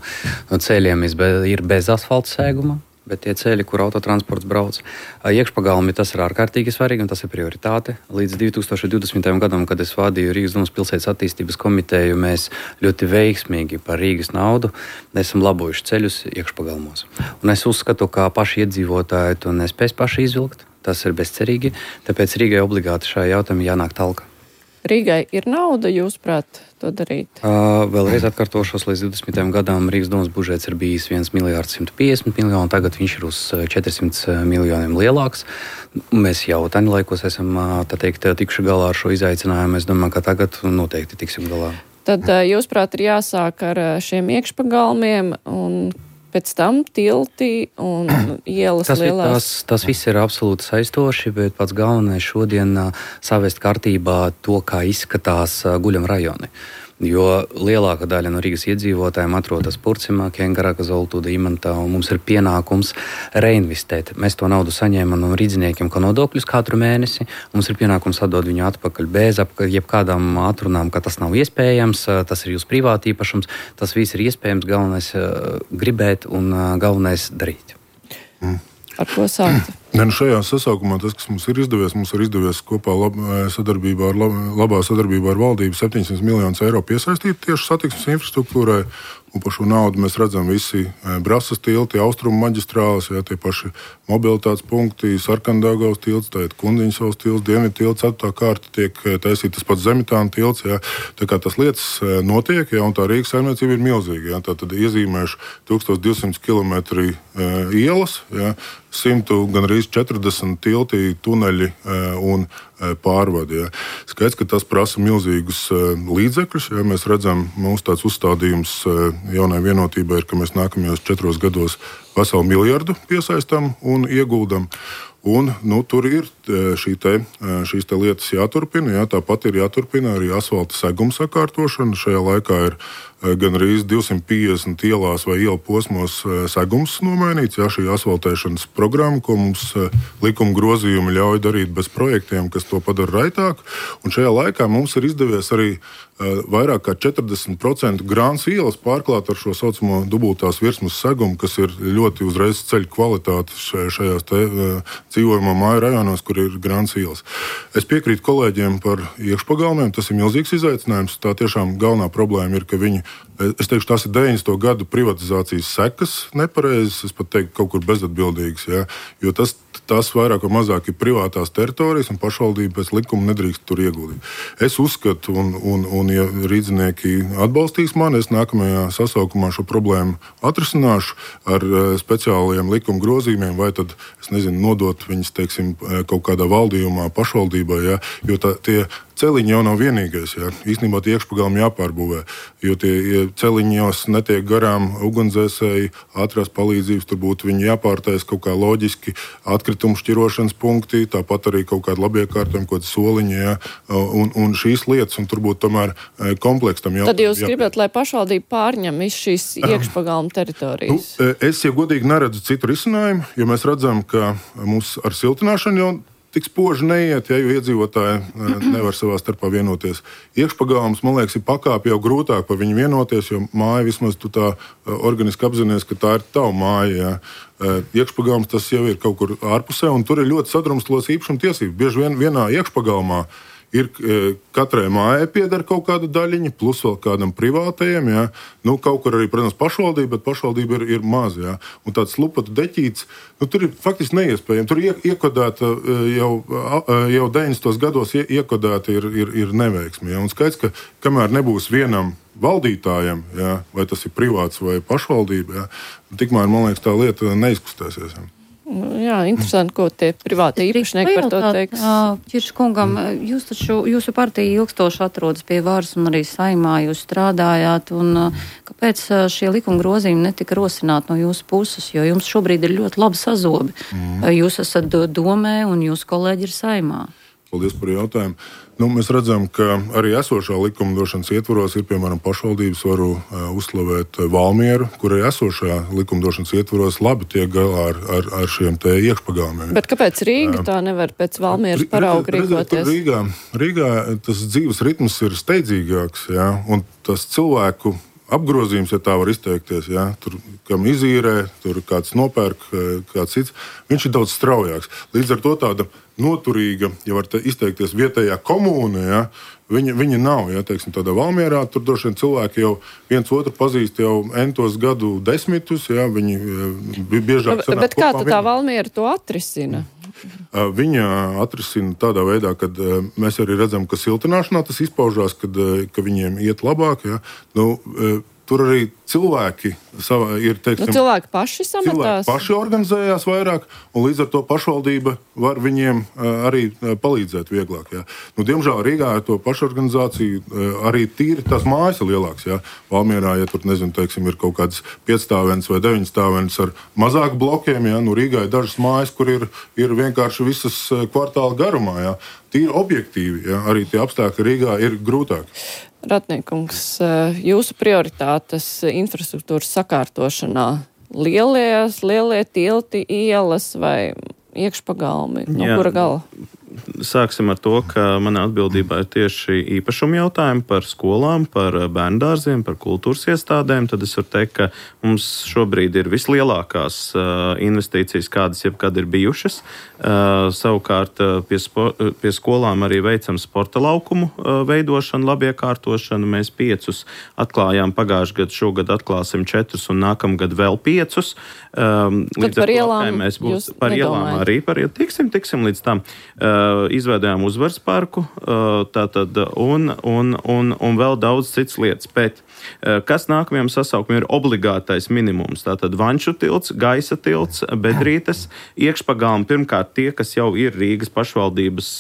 ceļiem ir bez asfalta sēguma, bet tie ceļi, kur autotransports brauc, iekšpagalmi, tas ir ārkārtīgi svarīgi un tas ir prioritāte. Līdz 2020. gadam, kad es vadīju Rīgas domas pilsētas attīstības komiteju, mēs ļoti veiksmīgi par Rīgas naudu esam labojuši ceļus iekšpagalmos. Un es uzskatu, ka paši iedzīvotāji to nespēs paši izvilkt. Tas ir bezcerīgi, tāpēc Rīgai obligāti šajā jautājumā jānāk talka. Rīgai ir nauda, jūsuprāt, to darīt? Vēlreiz atkārtošos, līdz 20. gadam Rīgas domas budžets ir bijis 1,150 miljonu, tagad viņš ir uz 400 miljoniem lielāks. Mēs jau taņu laikos esam, tikuši galā ar šo izaicinājumu. Es domāju, ka tagad noteikti tiksim galā. Tad, jūsuprāt, ir jāsāk ar šiem iekšpagalmiem un pēc tam tilti un ielas lielās. Tas viss ir absolūti saistoši, bet pats galvenais šodien savest kārtībā to, kā izskatās guļam rajoni. Jo lielākā daļa no Rīgas iedzīvotājiem atrodas Purcimā, Kengaraka, Zoltūda, Imantā, un mums ir pienākums reinvestēt. Mēs to naudu saņēmam no rīdziniekiem, kā nodokļus katru mēnesi. Mums ir pienākums atdot viņu atpakaļ bez jebkādām atrunām, ka tas nav iespējams, tas ir jūsu privāti īpašums, tas viss ir iespējams, galvenais gribēt un galvenais darīt. Ar ko sākt? Šajā sasaukumā tas, kas mums ir izdevies kopā labā sadarbībā ar valdību 700 miljonus eiro piesaistīt tieši satiksmes infrastruktūrai. Un par šo naudu mēs redzam visi Brasas tilti, Austrumu maģistrāles, tie paši mobilitātes punkti, Sarkandaugavas tilts, Kundiņsavas tilts, Dienvidu tilts, 4. kārta tiek taisīta, tas pats Zemitāna tilts. Tā kā tas lietas notiek, un tā Rīgas saimniecība ir milzīga. Tā tad iezīmējuši 1200 km ielas, 100 gan arī 40 tilti, tuneļi un pārvadi. Skaidrs, ka tas prasa milzīgus līdzekļus. Mēs redzam, mūsu tāds uzstādījums jaunai vienotībai ir, ka mēs nākamajos 4 gados veselu miljardu piesaistam un ieguldam. Un, tur ir šīs lietas jāturpina. Tāpat ir jāturpina arī asfalta seguma sakārtošana. Šajā laikā ir gan arī 250 ielās vai ielu posmos segums nomainīts. Jā, šī asfaltēšanas programma, ko mums likuma grozījumi ļauj darīt bez projektiem, kas to padara raitāk. Un šajā laikā mums ir izdevies arī vairāk kā 40% Grāns ielas pārklāt ar šo saucamo dubultās virsmas segumu, kas ir ļoti uzreiz ceļ kvalitāti šajās dzīvojamā māju rajonos, kur ir Grāns ielas. Es piekrītu kolēģiem par iekšpagalmiem, tas ir milzīgs izaicinājums. Tā tiešām galvenā problēma ir, ka viņi, es teikšu, tās ir 90. gadu privatizācijas sekas nepareizes, es pat teiktu, kaut kur bezatbildīgas, jā, jo tās vairāk vai mazāk ir privātās teritorijas un pašvaldība pēc likuma nedrīkst tur ieguldīt. Es uzskatu, un ja rīdzinieki atbalstīs mani, es nākamajā sasaukumā šo problēmu atrisināšu ar speciālajiem likuma grozījumiem, vai tad, es nezinu, nodot viņus, teiksim, kaut kādā valdījumā, pašvaldībā, jā, jo tie celiņi jau nav vienīgais. Jā. Īstenībā tie iekšpagalmi jāpārbūvē, jo tie celiņi jau netiek garām ugunsdzēsēji, ātrās palīdzības, tur būtu viņi jāpārtais kaut kā loģiski, atkritumu šķirošanas punkti, tāpat arī kaut kādi labiekārtojumi, kaut kādi soliņi, jā, un šīs lietas, un tur būtu tomēr kompleksam jāpārbūt. Tad jūs gribat, lai pašvaldība pārņem visu šīs iekšpagalmu teritorijas? Es, ja godīgi, neredzu citu risinājumu, jo mēs redzam, ka mums ar siltināšanu jau tik spoži neiet, ja, jo iedzīvotāji nevar savā starpā vienoties. Iekšpagalms, man liekas, ir pakāpi jau grūtāk par viņu vienoties, jo māja vismaz tu tā organiski apzinies, ka tā ir tava māja. Ja. Iekšpagalms tas jau ir kaut kur ārpusē, un tur ir ļoti sadrumstalots īpašuma tiesības. Bieži vien vienā iekšpagalmā ir katrai mājai pieder kaut kāda daļiņa, plus vēl kādam privātajam. Ja. Nu, kaut kur arī, protams, pašvaldība, bet pašvaldība ir maza. Ja. Un tāds lupatu deķīts, tur ir faktiski neiespējami. Tur iekodēta jau 90. gados iekodēta ir neveiksme. Ja. Un skaidrs, ka kamēr nebūs vienam valdītājam, ja, vai tas ir privāts vai pašvaldība, ja, tikmēr, man liekas, tā lieta neizkustēsies. Ja. Jā, interesanti, ko tie privāti īpašnieki par to teiks. Ķirš kungam, jūsu partija ilgstoši atrodas pie varas un arī Saeimā jūs strādājāt, un kāpēc šie likuma grozījumi netika rosināti no jūsu puses, jo jums šobrīd ir ļoti labi sazobi. Jūs esat domē un jūsu kolēģi ir Saeimā. Paldies par jautājumu. Mēs redzam, ka arī esošā likumdošanas ietvaros ir, piemēram, pašvaldības, varu uzslavēt Valmieru, kur arī esošā likumdošanas ietvaros labi tiek galā ar šiem te iekšpagalmiem. Bet kāpēc Rīga tā nevar pēc Valmieras parauga rīkoties? Rīgā tas dzīves ritms ir steidzīgāks, jā, un tas cilvēku apgrozījums, ja tā var izteikties, ja, tur, kam izīrē, tur kāds nopērk, kāds cits, viņš ir daudz straujāks. Līdz ar to tāda noturīga, ja var izteikties, vietējā komūna, ja, viņa nav. Ja, teiksim, tādā Valmierā tur droši vien cilvēki jau viens otru pazīst jau entos gadu desmitus, ja, viņi biežāk sanāk. Bet kā tā Valmiera to atrisina? Viņa atrisina tādā veidā, ka mēs arī redzam, ka siltināšanā tas izpaužās, ka viņiem iet labāk. Ja. Tur arī cilvēki ir, teiksim, cilvēki paši sametās. Cilvēki paši organizējās vairāk, un līdz ar to pašvaldība var viņiem arī palīdzēt vieglāk. Ja. Diemžēl Rīgā ar to pašorganizāciju arī tīri tās mājas ir lielāks. Ja. Valmierā, ja tur, nezinu, teiksim, ir kaut kāds 5-stāvens vai 9-stāvens ar mazāku blokiem, ja. Rīgā ir dažas mājas, kur ir vienkārši visas kvartāla garumā. Ja. Tīri objektīvi, ja. Arī tie apstākļi Rīgā ir grūtāki. Ratniekungs, jūsu prioritātes infrastruktūras sakārtošanā lielie tilti, ielas vai iekšpagalmi? No kura gala? Sāksim ar to, ka manā atbildībā ir tieši īpašuma jautājumi par skolām, par bērndārziem, par kultūras iestādēm. Tad es varu teikt, ka mums šobrīd ir vislielākās investīcijas, kādas jebkad ir bijušas. Savukārt pie skolām arī veicam sporta laukumu veidošanu, labiekārtošanu. Mēs 5 atklājām pagājušajā gadā, šogad atklāsim 4 un nākamgad vēl 5. Tad par ielām jūs nedomājat? Arī tiksim līdz tam. Izveidojām uzvaras parku, tātad, un vēl daudz citas lietas. Bet kas nākamajam sasaukumam ir obligātais minimums? Tātad Vanču tilts, Gaisa tilts, Bedrītes, iekšpagalmi. Pirmkārt, tie, kas jau ir Rīgas pašvaldības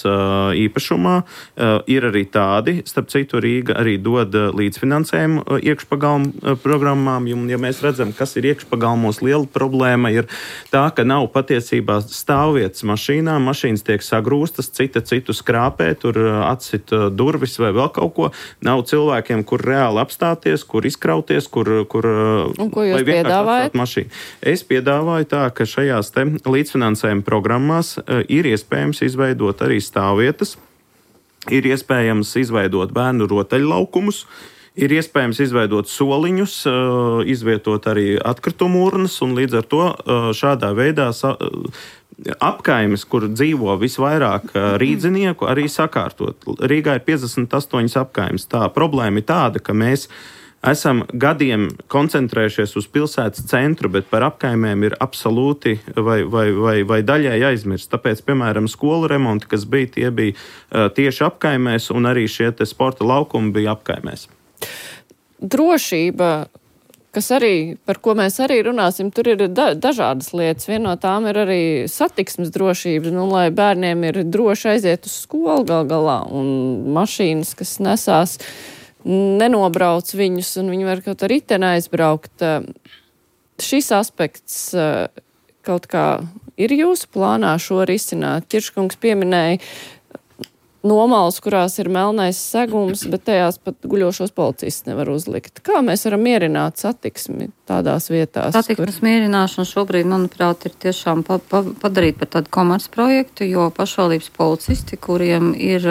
īpašumā, ir arī tādi. Starp citu, Rīga arī dod līdzfinansējumu iekšpagalmu programmām. Ja mēs redzam, kas ir iekšpagalmos, liela problēma ir tā, ka nav patiesībā stāvvietas mašīnām. Mašīnas tiek sagrūstas, citu skrāpē, tur atsit durvis vai vēl kaut ko. Nav cilvēkiem, kur reāli apstāties, kur izkrauties, kur un ko jūs piedāvājat? Es piedāvāju tā, ka šajās te līdzfinansējuma programmās ir iespējams izveidot arī stāvvietas, ir iespējams izveidot bērnu rotaļlaukumus, ir iespējams izveidot soliņus, izvietot arī atkritumu urnas, un līdz ar to šādā veidā apkaimes, kur dzīvo visvairāk rīdzinieku, arī sakārtot. Rīgā ir 58 apkaimes. Tā problēma ir tāda, ka mēs esam gadiem koncentrējušies uz pilsētas centru, bet par apkaimēm ir absolūti vai daļai aizmirst. Tāpēc, piemēram, skolu remonti, kas bija, tie bija tieši apkaimēs, un arī šie te sporta laukumi bija apkaimēs. Drošība, par ko mēs arī runāsim, tur ir dažādas lietas. Viena no tām ir arī satiksmes drošība, lai bērniem ir droši aiziet uz skolu gal galā, un mašīnas, kas nesās, nenobrauc viņus, un viņi var kaut ar riteni aizbraukt. Šis aspekts kaut kā ir jūsu plānā šo risināt? Ķirškungs pieminēja nomals, kurās ir melnais segums, bet tajās pat guļošos policistus nevar uzlikt. Kā mēs varam mierināt satiksmi tādās vietās? Satiksmes mierināšana šobrīd, manuprāt, ir tiešām padarīt par tādu komercprojektu, jo pašvaldības policisti, kuriem ir,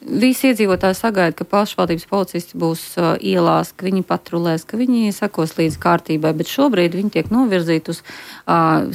visi iedzīvotāji sagaida, ka pašvaldības policisti būs ielās, ka viņi patrulēs, ka viņi sekos līdz kārtībai, bet šobrīd viņi tiek novirzīti uz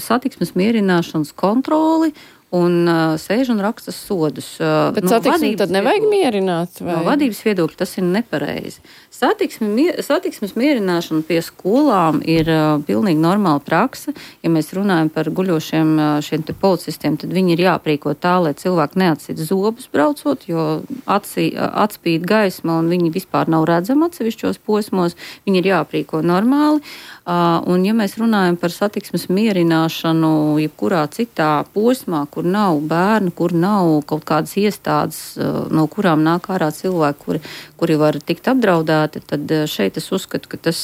satiksmes mierināšanas kontroli, un sēž un raksta sodus. Bet satiksmi tad nevajag mierināt? Vai? No vadības viedokļa tas ir nepareizi. Satiksmes mierināšana pie skolām ir pilnīgi normāla praksa. Ja mēs runājam par guļošiem šiem te policistiem, tad viņi ir jāprīko tā, lai cilvēki neatsit zobus braucot, jo atspīd gaisma un viņi vispār nav redzami atsevišķos posmos. Viņi ir jāprīko normāli. Un ja mēs runājam par satiksmes mierināšanu jebkurā citā posmā, kur nav bērnu, kur nav kaut kādas iestādes, no kurām nāk ārā cilvēki, kuri var tikt apdraudēti, tad šeit es uzskatu, ka tas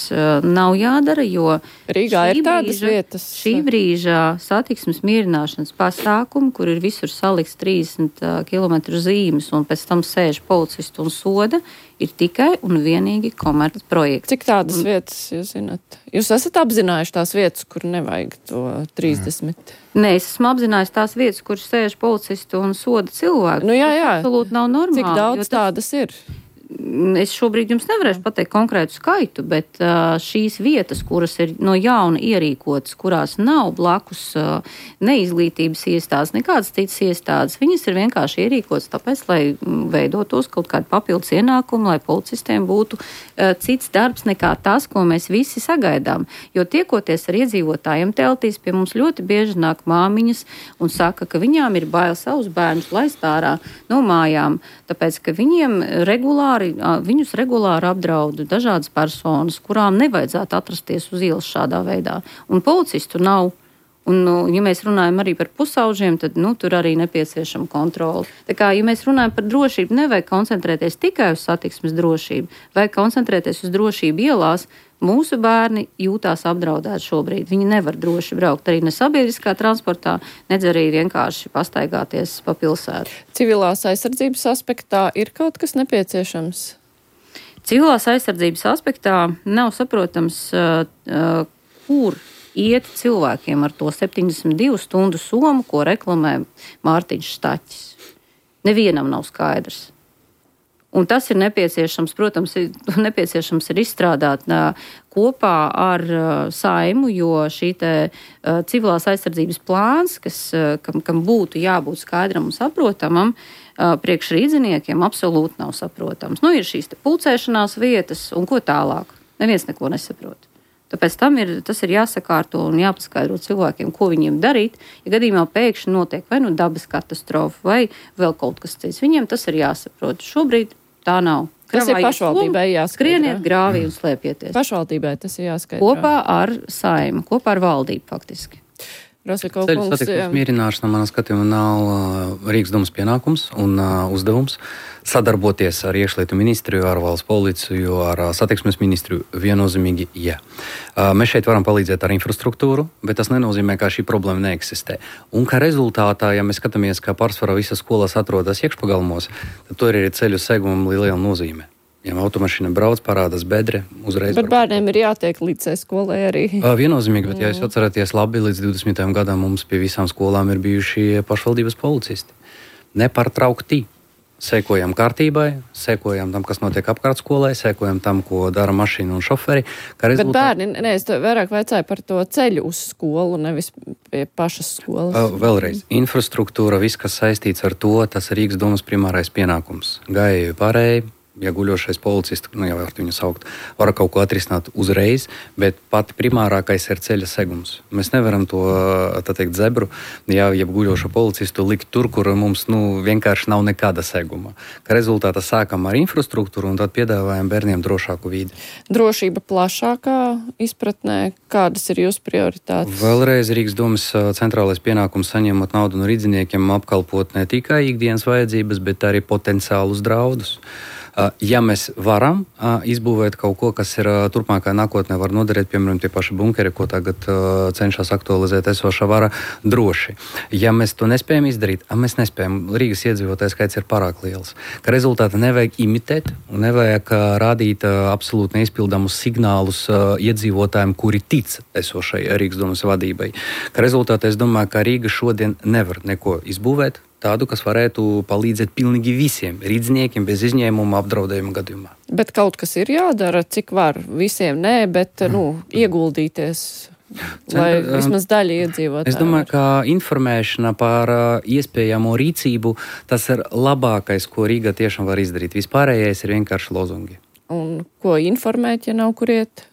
nav jādara, jo Rīgā ir tādas vietas. Šī brīža satiksmes mierināšanas pasākumi, kur ir visur salikts 30 km zīmes un pēc tam sēž policisti un soda, ir tikai un vienīgi komerc projekts. Cik tādas vietas jūs zināt? Jūs esat apzinājuši tās vietas, kur nevajag to 30? Nē, es esmu apzinājis tās vietas, kur sēž policisti un soda cilvēku. Jā. Tas absolūti nav normāli. Cik daudz tādas ir? Es šobrīd jums nevarēšu pateikt konkrētu skaitu, bet šīs vietas, kuras ir no jauna ierīkotas, kurās nav blakus neizglītības iestādes, nekādas citas iestādes, viņas ir vienkārši ierīkotas tāpēc, lai veidotos kaut kādu papildus ienākumu, lai policistiem būtu cits darbs nekā tas, ko mēs visi sagaidām. Jo tiekoties ar iedzīvotājiem teltīs, pie mums ļoti bieži nāk māmiņas un saka, ka viņām ir bail savus bērnus laist ārā no mājām, tāpēc, ka viņus regulāri apdraud dažādas personas, kurām nevajadzētu atrasties uz ielas šādā veidā. Un policistu nav. Un, ja mēs runājam arī par pusauģiem, tad tur arī nepieciešama kontrole. Tā kā, ja mēs runājam par drošību, nevajag koncentrēties tikai uz satiksmes drošību, vajag koncentrēties uz drošību ielās. Mūsu bērni jūtās apdraudēti šobrīd. Viņi nevar droši braukt arī ne sabiedriskā transportā, nedz arī vienkārši pastaigāties pa pilsētu. Civilās aizsardzības aspektā ir kaut kas nepieciešams? Civilās aizsardzības aspektā nav saprotams, kur iet cilvēkiem ar to 72 stundu somu, ko reklamē Mārtiņš Staķis. Nevienam nav skaidrs. Un tas ir nepieciešams, protams, ir izstrādāt kopā ar Saimu, jo šī te civilās aizsardzības plāns, kam būtu jābūt skaidram un saprotamam, priekš rīdziniekiem absolūti nav saprotams. Ir šīs te pulcēšanās vietas un ko tālāk. Neviens neko nesaprot. Tāpēc tas ir jāsakārto un jāpaskaidro cilvēkiem, ko viņiem darīt, ja gadījumā pēkšņi notiek vai dabas katastrofa vai vēl kaut kas cits. Viņiem tas ir jāsaprot. Šobrīd tā nav. Tas ir pašvaldībai jāskaidro. Skrieniet grāvī un slēpieties. Pašvaldībai tas ir jāskaidro. Kopā ar Saimu, kopā ar valdību faktiski. Ceļu satiksmes mierināšana, manā skatījumā, nav Rīgas domas pienākums un uzdevums. Sadarboties ar iekšlietu ministriju, ar valsts policiju, ar satiksmes ministriju viennozīmīgi, jā. Mēs šeit varam palīdzēt ar infrastruktūru, bet tas nenozīmē, ka šī problēma neeksistē. Un ka rezultātā, ja mēs skatāmies, ka pārsvarā visas skolas atrodas iekšpagalmos, tad tur ir ceļu segumam liela nozīme. Ja automašīna brauc, parādās bedre, uzreiz. Bet bērniem ir jātiek līdz skolai arī. Viennozīmīgi, bet ja jūs atceraties labi, līdz 20. gadam mums pie visām skolām ir bijuši pašvaldības policisti. Nepārtraukti. Sekojam kārtībai, sekojam tam, kas notiek apkārt skolai, sekojam tam, ko dara mašīna un šoferi. Bet bērni, es vairāk vaicāju par to ceļu uz skolu, nevis pie pašas skolas. Vēlreiz, infrastruktūra, viss, kas saistīts ar to, tas ir Rīgas domas primārais pienākums. Gājēju pārēji. Ja guļošais policists, jau var viņu saukt, var kaut ko atrisināt uzreiz, bet pati primārākais ir ceļa segums. Mēs nevaram to, tā teikt, zebru, ja guļošo policistu likt tur, kur mums vienkārši nav nekāda seguma. Ka rezultātā sākam ar infrastruktūru un tad piedāvājam bērniem drošāku vidi. Drošība plašākā izpratnē, kādas ir jūsu prioritātes? Vēlreiz Rīgas domas centrālais pienākums saņemot naudu no rīdziniekiem apkalpot ne tikai ikdienas vajadzības, bet arī potenciālus draudus. Ja mēs varam izbūvēt kaut ko, kas ir turpmākā nākotnē var noderēt, piemēram, tie paši bunkeri, ko tagad cenšas aktualizēt esošā vara droši. Ja mēs to nespējam izdarīt, mēs nespējam, Rīgas iedzīvotājs skaits ir pārāk liels, ka rezultāti nevajag imitēt un nevajag rādīt absolūti neizpildamus signālus iedzīvotājiem, kuri tic esošai Rīgas domas vadībai. Ka rezultātā es domāju, ka Rīga šodien nevar neko izbūvēt, tādu, kas varētu palīdzēt pilnīgi visiem rīdziniekiem bez izņēmuma apdraudējuma gadījumā. Bet kaut kas ir jādara, cik var visiem nē, bet ieguldīties, lai vismaz daļa iedzīvotāji. Es domāju, ka informēšana par iespējamo rīcību, tas ir labākais, ko Rīga tiešām var izdarīt. Vispārējais ir vienkārši lozungi. Un ko informēt, ja nav kur iet?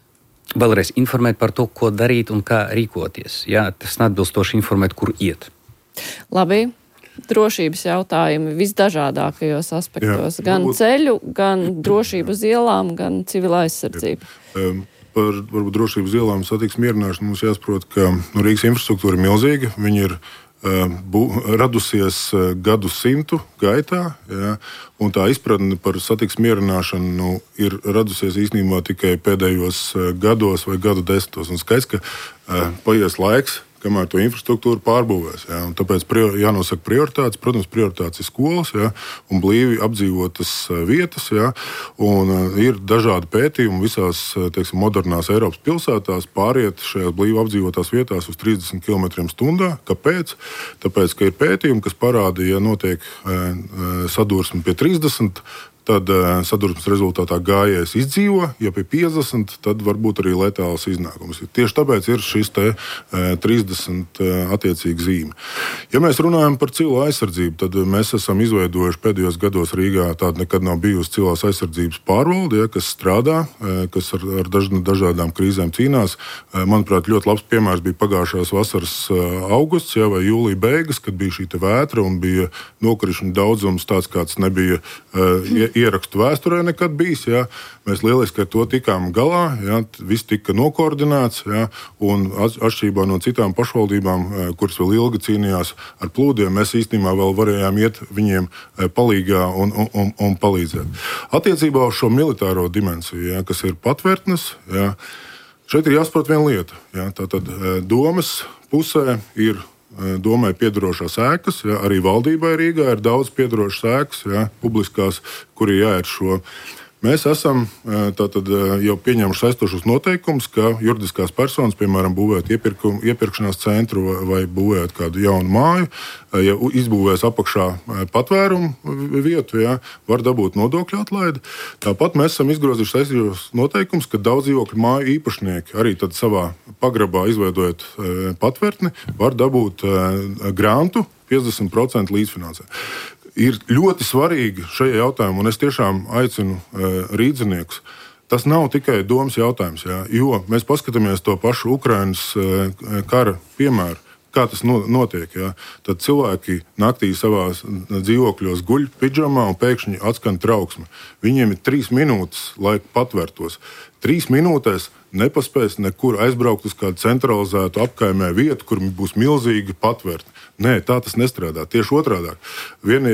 Vēlreiz informēt par to, ko darīt un kā rīkoties. Jā, tas neatbilstoši informēt, kur iet. Labi. Drošības jautājumi visdažādākajos aspektos. Jā, gan ceļu, gan drošību uz ielām, gan civila aizsardzību. Par varbūt drošību uz ielām satiksmes mierināšanu mums jāsaprot, ka Rīgas infrastruktūra ir milzīga. Viņa ir radusies gadsimtu gaitā, ja, un tā izpratne par satiksmes mierināšanu ir radusies īstenībā tikai pēdējos gados vai gadu desmitos. Un skaidrs, ka paies laiks, kamēr to infrastruktūru pārbūvēs. Ja, tāpēc jānosaka prioritātes. Protams, prioritātes ir skolas, ja, un blīvi apdzīvotas vietas. Ja, un ir dažādi pētījumi visās, teiksim, modernās Eiropas pilsētās pāriet šajās blīvi apdzīvotās vietās uz 30 km/h. Kāpēc? Tāpēc, ka ir pētījumi, kas parāda, ja notiek sadursme pie 30, tad sadursmes rezultātā gājējs izdzīvo, ja pie 50, tad varbūt arī letāls iznākums. Tieši tāpēc ir šis 30 attiecīgi zīme. Ja mēs runājam par civilo aizsardzību, tad mēs esam izveidojuši pēdējos gados Rīgā tāda nekad nav bijusi civilās aizsardzības pārvalde, ja, kas strādā, kas ar dažādām krīzēm cīnās. Manuprāt, ļoti labs piemērs bija pagājušās vasaras augusts, ja, vai jūlija beigas, kad bija šī vētra un bija nokrišņu daudzums tāds, kāds nebija ierakstu vēsturē nekad bijis. Ja. Mēs lieliski ar to tikām galā, ja. Viss tika nokoordinēts, ja. Un atšķirībā no citām pašvaldībām, kuras vēl ilgi cīnījās ar plūdiem, mēs īstenībā vēl varējām iet viņiem palīgā un palīdzēt. Attiecībā uz šo militāro dimensiju, ja, kas ir patvērtnes, ja, šeit ir jāsaprot viena lieta. Ja. Tātad domas pusē ir domai piedarošās ēkas, ja, arī valdībai Rīgā ir daudz piedarošas ēkas, ja, publiskās, kuri jāiet šo. Mēs esam tātad jau pieņēmuši saistošus noteikumus, ka juridiskās personas, piemēram, būvēt iepirkšanās centru vai būvēt kādu jaunu māju, ja izbūvēs apakšā patvērumu vietu, ja, var dabūt nodokļu atlaidi. Tāpat mēs esam izgrozījuši saistošus noteikumus, ka daudz dzīvokļu māju īpašnieki arī tad savā pagrabā izveidojot patvērtni, var dabūt grantu 50% līdzfinansē. Ir ļoti svarīgi šajā jautājumā, un es tiešām aicinu rīdziniekus. Tas nav tikai domas jautājums, jā, jo mēs paskatāmies to pašu Ukrainas kara piemēru, kā tas notiek. Jā. Tad cilvēki naktī savās dzīvokļos guļ pidžamā un pēkšņi atskan trauksme. Viņiem ir 3 minūtes, lai patvērtos. 3 minūtēs nepaspēs nekur aizbraukt uz kādu centralizētu apkaimē vietu, kur būs milzīgi patvērti. Nē, tā tas nestrādā. Tieši otrādāk. Viena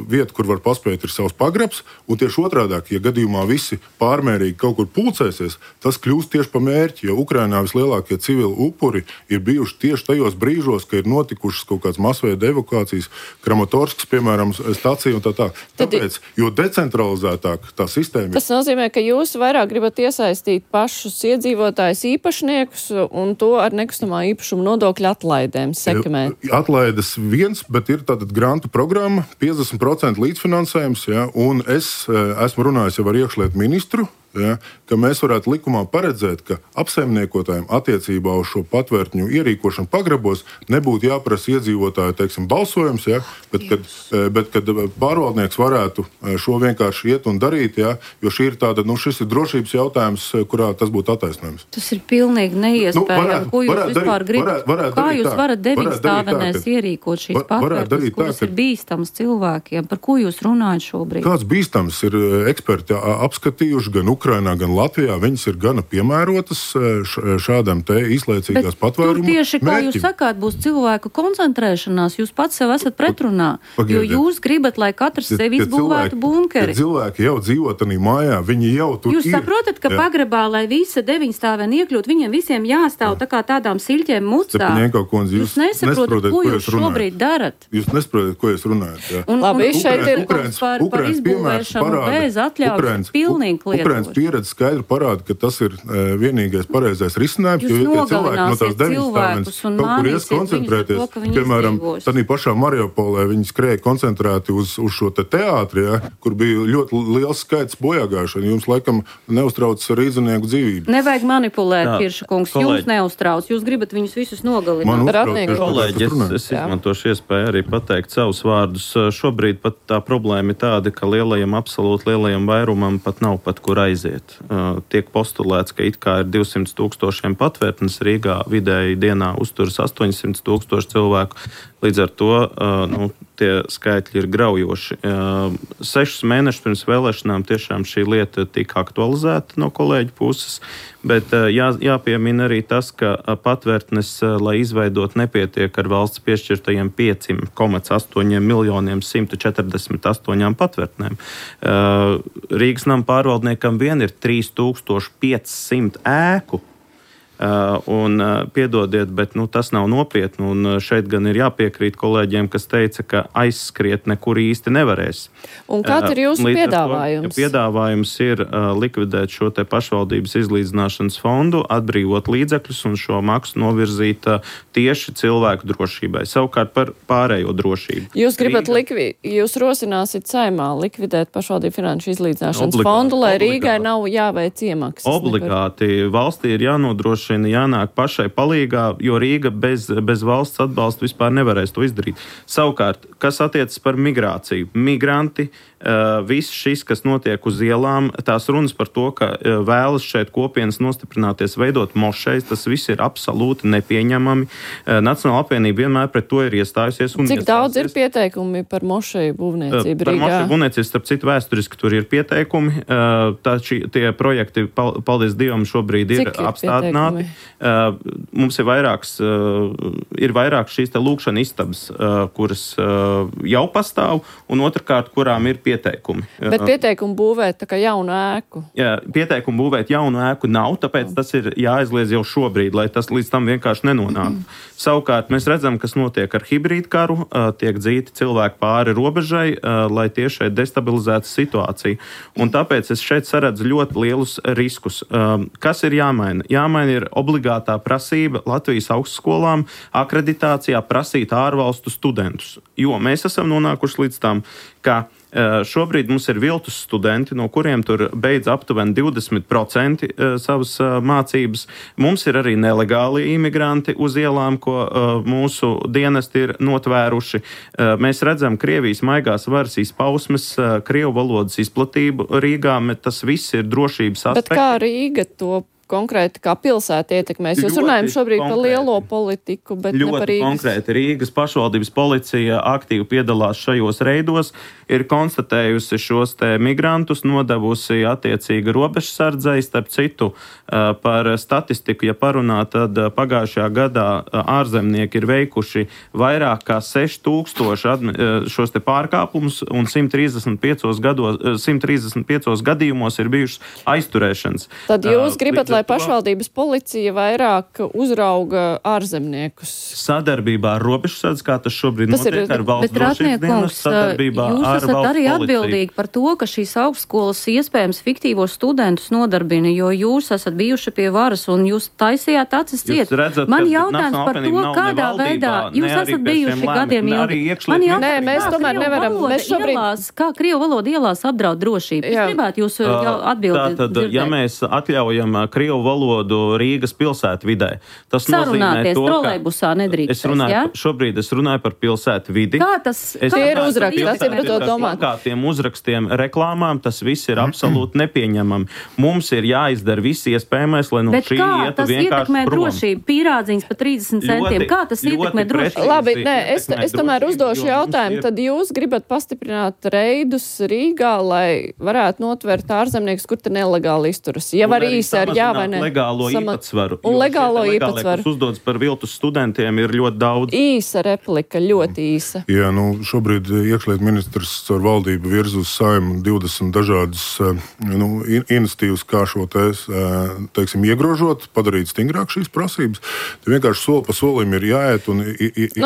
vieta, kur var paspēt, ir savs pagrabs, un tieši otrādāk, ja gadījumā visi pārmērīgi kaut kur pulcēsies, tas kļūst tieši pa mērķi, jo Ukrainā vislielākie civili upuri ir bijuši tieši tajos brīžos, ka ir notikušas kaut kādas masveida evakuācijas, Kramatorskas, piemēram, stacija un tā. Tāpēc, jo decentralizētāk tā sistēma ir. Tas nozīmē, ka jūs vairāk gribat iesaistīt pašus iedzīvotājus īpašniekus un to ar nekustamā īpašuma nodokļu atlaidēm sekmēt. Atlaides viens, bet ir tātad grantu programma, 50% līdzfinansējums, ja, un es esmu runājis jau ar iekšlietu ministru, ja, ka mēs varētu likumā paredzēt, ka apsaimniekotājiem attiecībā uz šo patvērtņu ierīkošanu pagrabos nebūtu jāprasa iedzīvotāju, teiksim, balsojums, ja, bet kad pārvaldnieks varētu šo vienkārši iet un darīt, ja, jo šis ir drošības jautājums, kurā tas būtu attaisnojums. Tas ir pilnīgi neiespējami. Ko jūs vispār gribat? Kā jūs varat 9 stāvenēs ierīkot šīs patvērtnes, kuras ir bīstams cilvēkiem? Par ko jūs runājat šobrīd? Kāds bīstams ir eksperti apskatījuši gan Ukrainā, gan Latvijā, viņas ir gana piemērotas šādam te izlaicīgās patvērumu mērķim. Tur tieši, kā jūs sakāt, būs cilvēku koncentrēšanās, jūs pats sev esat pretrunā, jo jūs gribat, lai katrs sev izbūvētu bunkeri. Cilvēki jau dzīvo tanī mājā, viņi jau tur jūs ir. Jūs saprotat, ka pagrabā, lai visa 9 stāvēni iekļūt, viņiem visiem jāstāv tā kā tādām siļķēm mutstā. Jūs nesaprotat, ko jūs šobrīd darat. Jūs nesaprotat, ko jūs runājat. Jā. Labi, šeit ir par izbūvēšanu bez atļaujas pilnīgi kliedot. Pieredze skaidri parāda, ka tas ir vienīgais pareizais risinājums, jo ja cilvēki no tās 9 stāvēnes kaut kur ies koncentrēties, piemēram, tādā pašā Mariupolē viņi skrēja koncentrēti uz šo te teātri, ja, kur bija ļoti liels skaits bojāgājušanu. Jums laikam neuztrauc rīznieku dzīvību. Nevajag manipulēt, Kirša kungs, jums neuztrauc, jūs gribat viņus visus nogalināt. Kolēģi, es izmantošu iespēju arī pateikt savus vārdus. Šobrīd pat tā problēma ir tāda, ka absolūti lielajam vairumam pat nav pat kur aiziet. Tiek postulēts, ka it kā ir 200,000 patvērtnes Rīgā, vidēji dienā uzturas 800,000 cilvēku. Līdz ar to tie skaitļi ir graujoši. 6 mēnešus pirms vēlēšanām tiešām šī lieta tika aktualizēta no kolēģu puses, bet jāpiemina arī tas, ka patvērtnes, lai izveidot, nepietiek ar valsts piešķirtajiem 5,8 miljoniem 148 patvērtnēm. Rīgas nama pārvaldniekam vien ir 3500 ēku. Piedodiet, bet tas nav nopietni, un šeit gan ir jāpiekrīt kolēģiem, kas teica, ka aizskriet nekur īsti nevarēs. Un kāds ir jūsu piedāvājums? Piedāvājums ir likvidēt šo te pašvaldības izlīdzināšanas fondu, atbrīvot līdzekļus un šo maksu novirzīt tieši cilvēku drošībai, savukārt par pārējo drošību. Jūs gribat jūs rosināsit Saeimā likvidēt pašvaldību finanšu izlīdzināšanas fondu, lai Rīgai nav jāveic iemaksas? Obligāti. Valstī ir jānodrošina, jānāk pašai palīgā, jo Rīga bez valsts atbalsta vispār nevarēs to izdarīt. Savukārt, kas attiecas par migrāciju? Migranti, viss šis, kas notiek uz ielām, tās runas par to, ka vēlas šeit kopienas nostiprināties, veidot mošejas, tas viss ir absolūti nepieņemami. Nacionāla apvienība vienmēr pret to ir iestājusies. Cik daudz ir pieteikumi par mošeju būvniecību Rīgā? Par mošeju būvniecību, starp citu, vēsturiski tur ir pieteikumi. Tie projekti, paldies Dievam, šobrīd ir apstādināti. Mums ir vairāk šīs te lūkšana istabas, kuras jau pastāv, un otrkārt, kurām ir pieteikumi. Bet pieteikumu būvēt tā kā jaunu ēku? Jā, pieteikumu būvēt jaunu ēku nav, tāpēc tas ir jāaizliedz jau šobrīd, lai tas līdz tam vienkārši nenonāk. Savukārt mēs redzam, kas notiek ar hibrīdu karu, tiek dzīti cilvēki pāri robežai, lai tieši destabilizētu situāciju. Un tāpēc es šeit saredzu ļoti lielus riskus. Kas ir jāmaina? Jāmaina ir obligātā prasība Latvijas augstskolām akreditācijā prasīt ārvalstu studentus. Jo mēs esam nonākuši līdz tam, ka šobrīd mums ir viltus studenti, no kuriem tur beidz aptuveni 20% savas mācības. Mums ir arī nelegāli imigranti uz ielām, ko mūsu dienesti ir notvēruši. Mēs redzam Krievijas maigās varas izpausmes, Krievu valodas izplatību Rīgā, bet tas viss ir drošības aspekts. Bet kā Rīga to konkrēti kā pilsēta ietekmēs? Jūs runājam šobrīd par lielo politiku, bet ne par Rīgas. Ļoti konkrēti. Rīgas pašvaldības policija aktīvi piedalās šajos reidos, ir konstatējusi šos te migrantus, nodevusi attiecīgi robežsardzei, starp citu par statistiku, ja parunā, tad pagājušajā gadā ārzemnieki ir veikuši vairāk kā 6000 šos te pārkāpumus un 135 gadījumos ir bijušas aizturēšanas. Tad jūs gribat, lai pašvaldības policija vairāk uzrauga ārzemniekus? Sadarbībā ar robežsardzi, kā tas šobrīd notiek ar valsts drošības dienas sadarbībā ar valsts policiju. Jūs esat arī atbildīgi par to, ka šīs augstskolas iespējams fiktīvos studentus nodarbina, jo jūs esat bijuši pie varas un jūs taisījāt acis ciet. Man jautājums par to, kādā veidā jūs esat bijuši gadiem ilgi. Nē, mēs tomēr nevaram. Kā Krievu valoda ielās apdraud drošību? Es gribētu jūs atbildi dzirdēt. Ja mēs atļaujam Krievu valodu Rīgas pilsētvidē, tas nozīmē to, trolejbusā nedrīkst. Šobrīd es runāju par pilsētvidi. Kā tas ir uzraksts? Tas ir par to domāt. Kā tiem uzrakstiem reklāmām, tas viss ir absolūti nepieņemami. Mums ir jāizdara viss iespējamais, lai no šī ietu vienkārši prom. Drošību? Pīrādziņas par 30 centiem. Kā tas ietekmē drošību? Labi, nē, es tomēr uzdošu jautājumu. Tad jūs gribat pastiprināt reidus Rīgā, lai varētu notvert ārzemniekus, kur te nelegāli izturas. Ja var īsi ar jā vai ne. Legālo īpatsvaru. Un legālo īpatsvaru. Kas uzdodas par viltus studentiem ir ļoti daudz. Īsa replika, ļoti īsa. Jā, šobrīd iekšlietu ministrs ar valdību virz uz Saeimu 20 dažādas iniciatīvas, kā šo teiksim, iegrožot, padarīt stingrāk šīs prasības. Te vienkārši soli pa solim ir jāiet un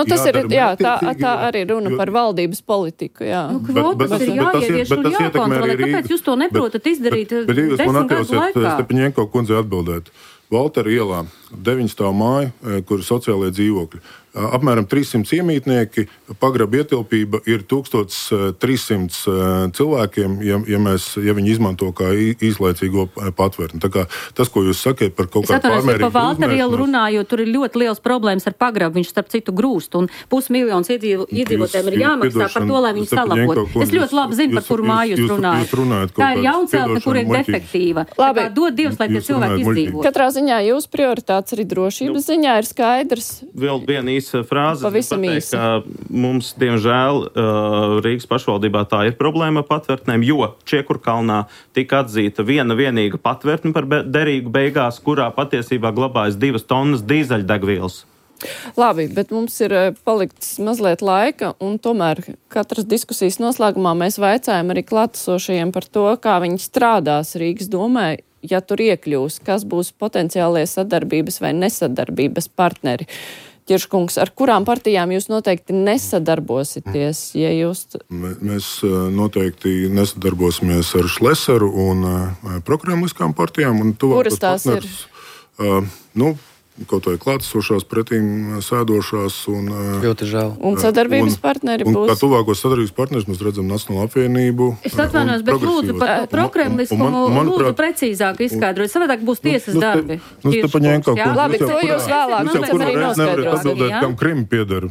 tas ir, jā, tā arī runa par valdības politiku, jā. Kvotas ir jāievieš un jākontrolē. Kāpēc jūs to neprotat izdarīt 10 gadu laikā? Stepaņenko kundzei atbildēt. Valtera ielā 9 stāv māja, kur ir sociālie dzīvokļi. Apmēram 300 iemītnieki, pagraba ietilpība ir 1300 cilvēkiem, ja viņi izmanto kā īslaicīgo patvērtni. Tā kā tas, ko jūs sakiet par kaut kādu pārmērīgu par Valtera ielu runājot, tur ir ļoti liels problēmas ar pagrabu, viņš starp citu grūst, un 500 000 iedzīvotājiem ir jāmaksā par to, lai viņi salabot. Es ļoti labi zinu, par kuru māju jūs runājat. Tā ir jaunceltne, kur ir defektīva. Labi. Dod Dievs, lai tie cilvēki izdzīvot. Katrā ziņā jūs prioritātes arī drošības ziņā ir skaidrs. Vēl viena īsa frāze. Pavisam īsi. Mums, diemžēl, Rīgas pašvaldībā tā ir problēma patvērtnēm, jo Čiekurkalnā tika atzīta vienīga patvērtne par derīgu beigās, kurā patiesībā glabājas 2 tonnas dīzeļdegvielas. Labi, bet mums ir palikts mazliet laika, un tomēr katras diskusijas noslēgumā mēs vaicājam arī klātesošajiem par to, kā viņi strādās Rīgas domē, ja tur iekļūs, kas būs potenciālie sadarbības vai nesadarbības partneri. Ķirškungs, ar kurām partijām jūs noteikti nesadarbosieties? Ja jūs... Mēs noteikti nesadarbosimies ar Šleseru un prokremliskām partijām. Un kuras tās ir? Kaut vai klātesošās pretīm sēdošās. Ļoti žēl. Un sadarbības partneri būs? Un kā tuvākos sadarbības partneris mēs redzam Nacionālo apvienību. Es atvainojos, bet lūdzu par prokremliskumu lūdzu precīzāk izskaidrot. Savādāk būs tiesas darbi. Labi, to jūs vēlāk arī noskaidrosiet. Atbildēt, kam Krimi pieder.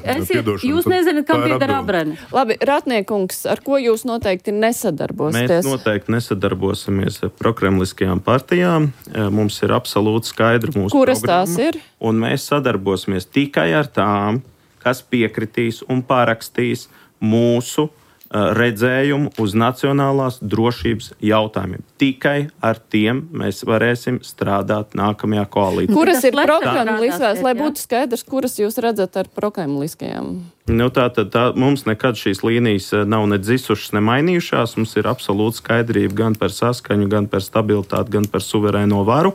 Jūs nezināt, kam pieder Abreni. Labi, Ratniekungs, ar ko jūs noteikti nesadarbosieties? Mēs noteikti nesadarbosimies ar prokremliskajām partijām. Mums ir absolūti skaidra mūsu programma. Kuras tās ir? Un mēs sadarbosimies tikai ar tām, kas piekritīs un parakstīs mūsu redzējumu uz nacionālās drošības jautājumiem. Tikai ar tiem mēs varēsim strādāt nākamajā koalīcijā. Kuras ir prokremliskās, lai būtu skaidrs, kuras jūs redzat ar prokremliskajām? Tātad mums nekad šīs līnijas nav ne dzisušas, ne mainījušās. Mums ir absolūta skaidrība gan par saskaņu, gan par stabilitāti, gan par suverēno varu.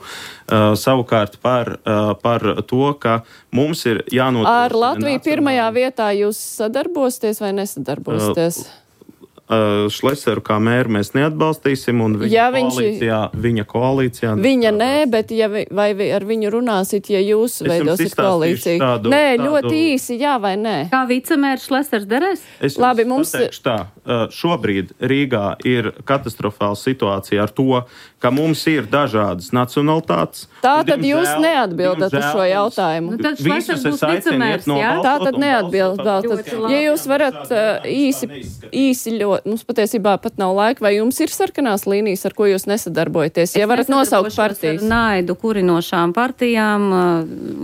Savukārt par to, ka mums ir jānotiek... Ar Latviju pirmajā vietā jūs sadarbosieties vai nesadarbosieties? Šleseru kā mēru mēs neatbalstīsim, un viņa koalīcijā... Viņa nē, bet vai ar viņu runāsit, ja jūs veidosiet koalīciju? Nē, ļoti īsi, jā vai nē? Kā vicemērs Šlesers derēs? Labi, mums pateikšu tā. Šobrīd Rīgā ir katastrofāla situācija ar to, ka mums ir dažādas nacionalitātes. Tātad jūs neatbildat uz šo jautājumu. Visus es aicinu iet no valsts. Tātad neatbildat. Ja jūs varat īsi ļoti mums patiesībā pat nav laika, vai jums ir sarkanās līnijas, ar ko jūs nesadarbojaties? Ja varat nosaukt partijas. Naidu kurinošām partijām.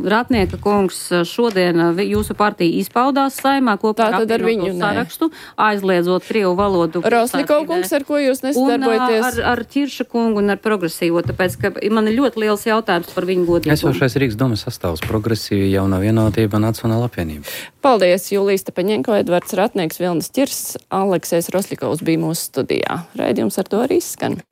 Ratnieka kungs šodien jūsu partija izpaudās Saimā kopā ar viņu sarakstu, aizliedzot krievu valodu. Roslikov kungs, ar ko jūs nesadarbojaties? Ar Ķirša kungu un ar progresīvo, tāpēc, ka man ir ļoti liels jautājums par viņu godīgumu. Esošais Rīgas domas sastāvs progresīva, Jaunā vienotība, Nacionāla apvienība. Paldies, Julija Stepaņenko, Edvards Ratnieks, Vilnis Ķirs, Aleksējs Roslikovs bija mūsu studijā. Raidījums ar to arī izskan.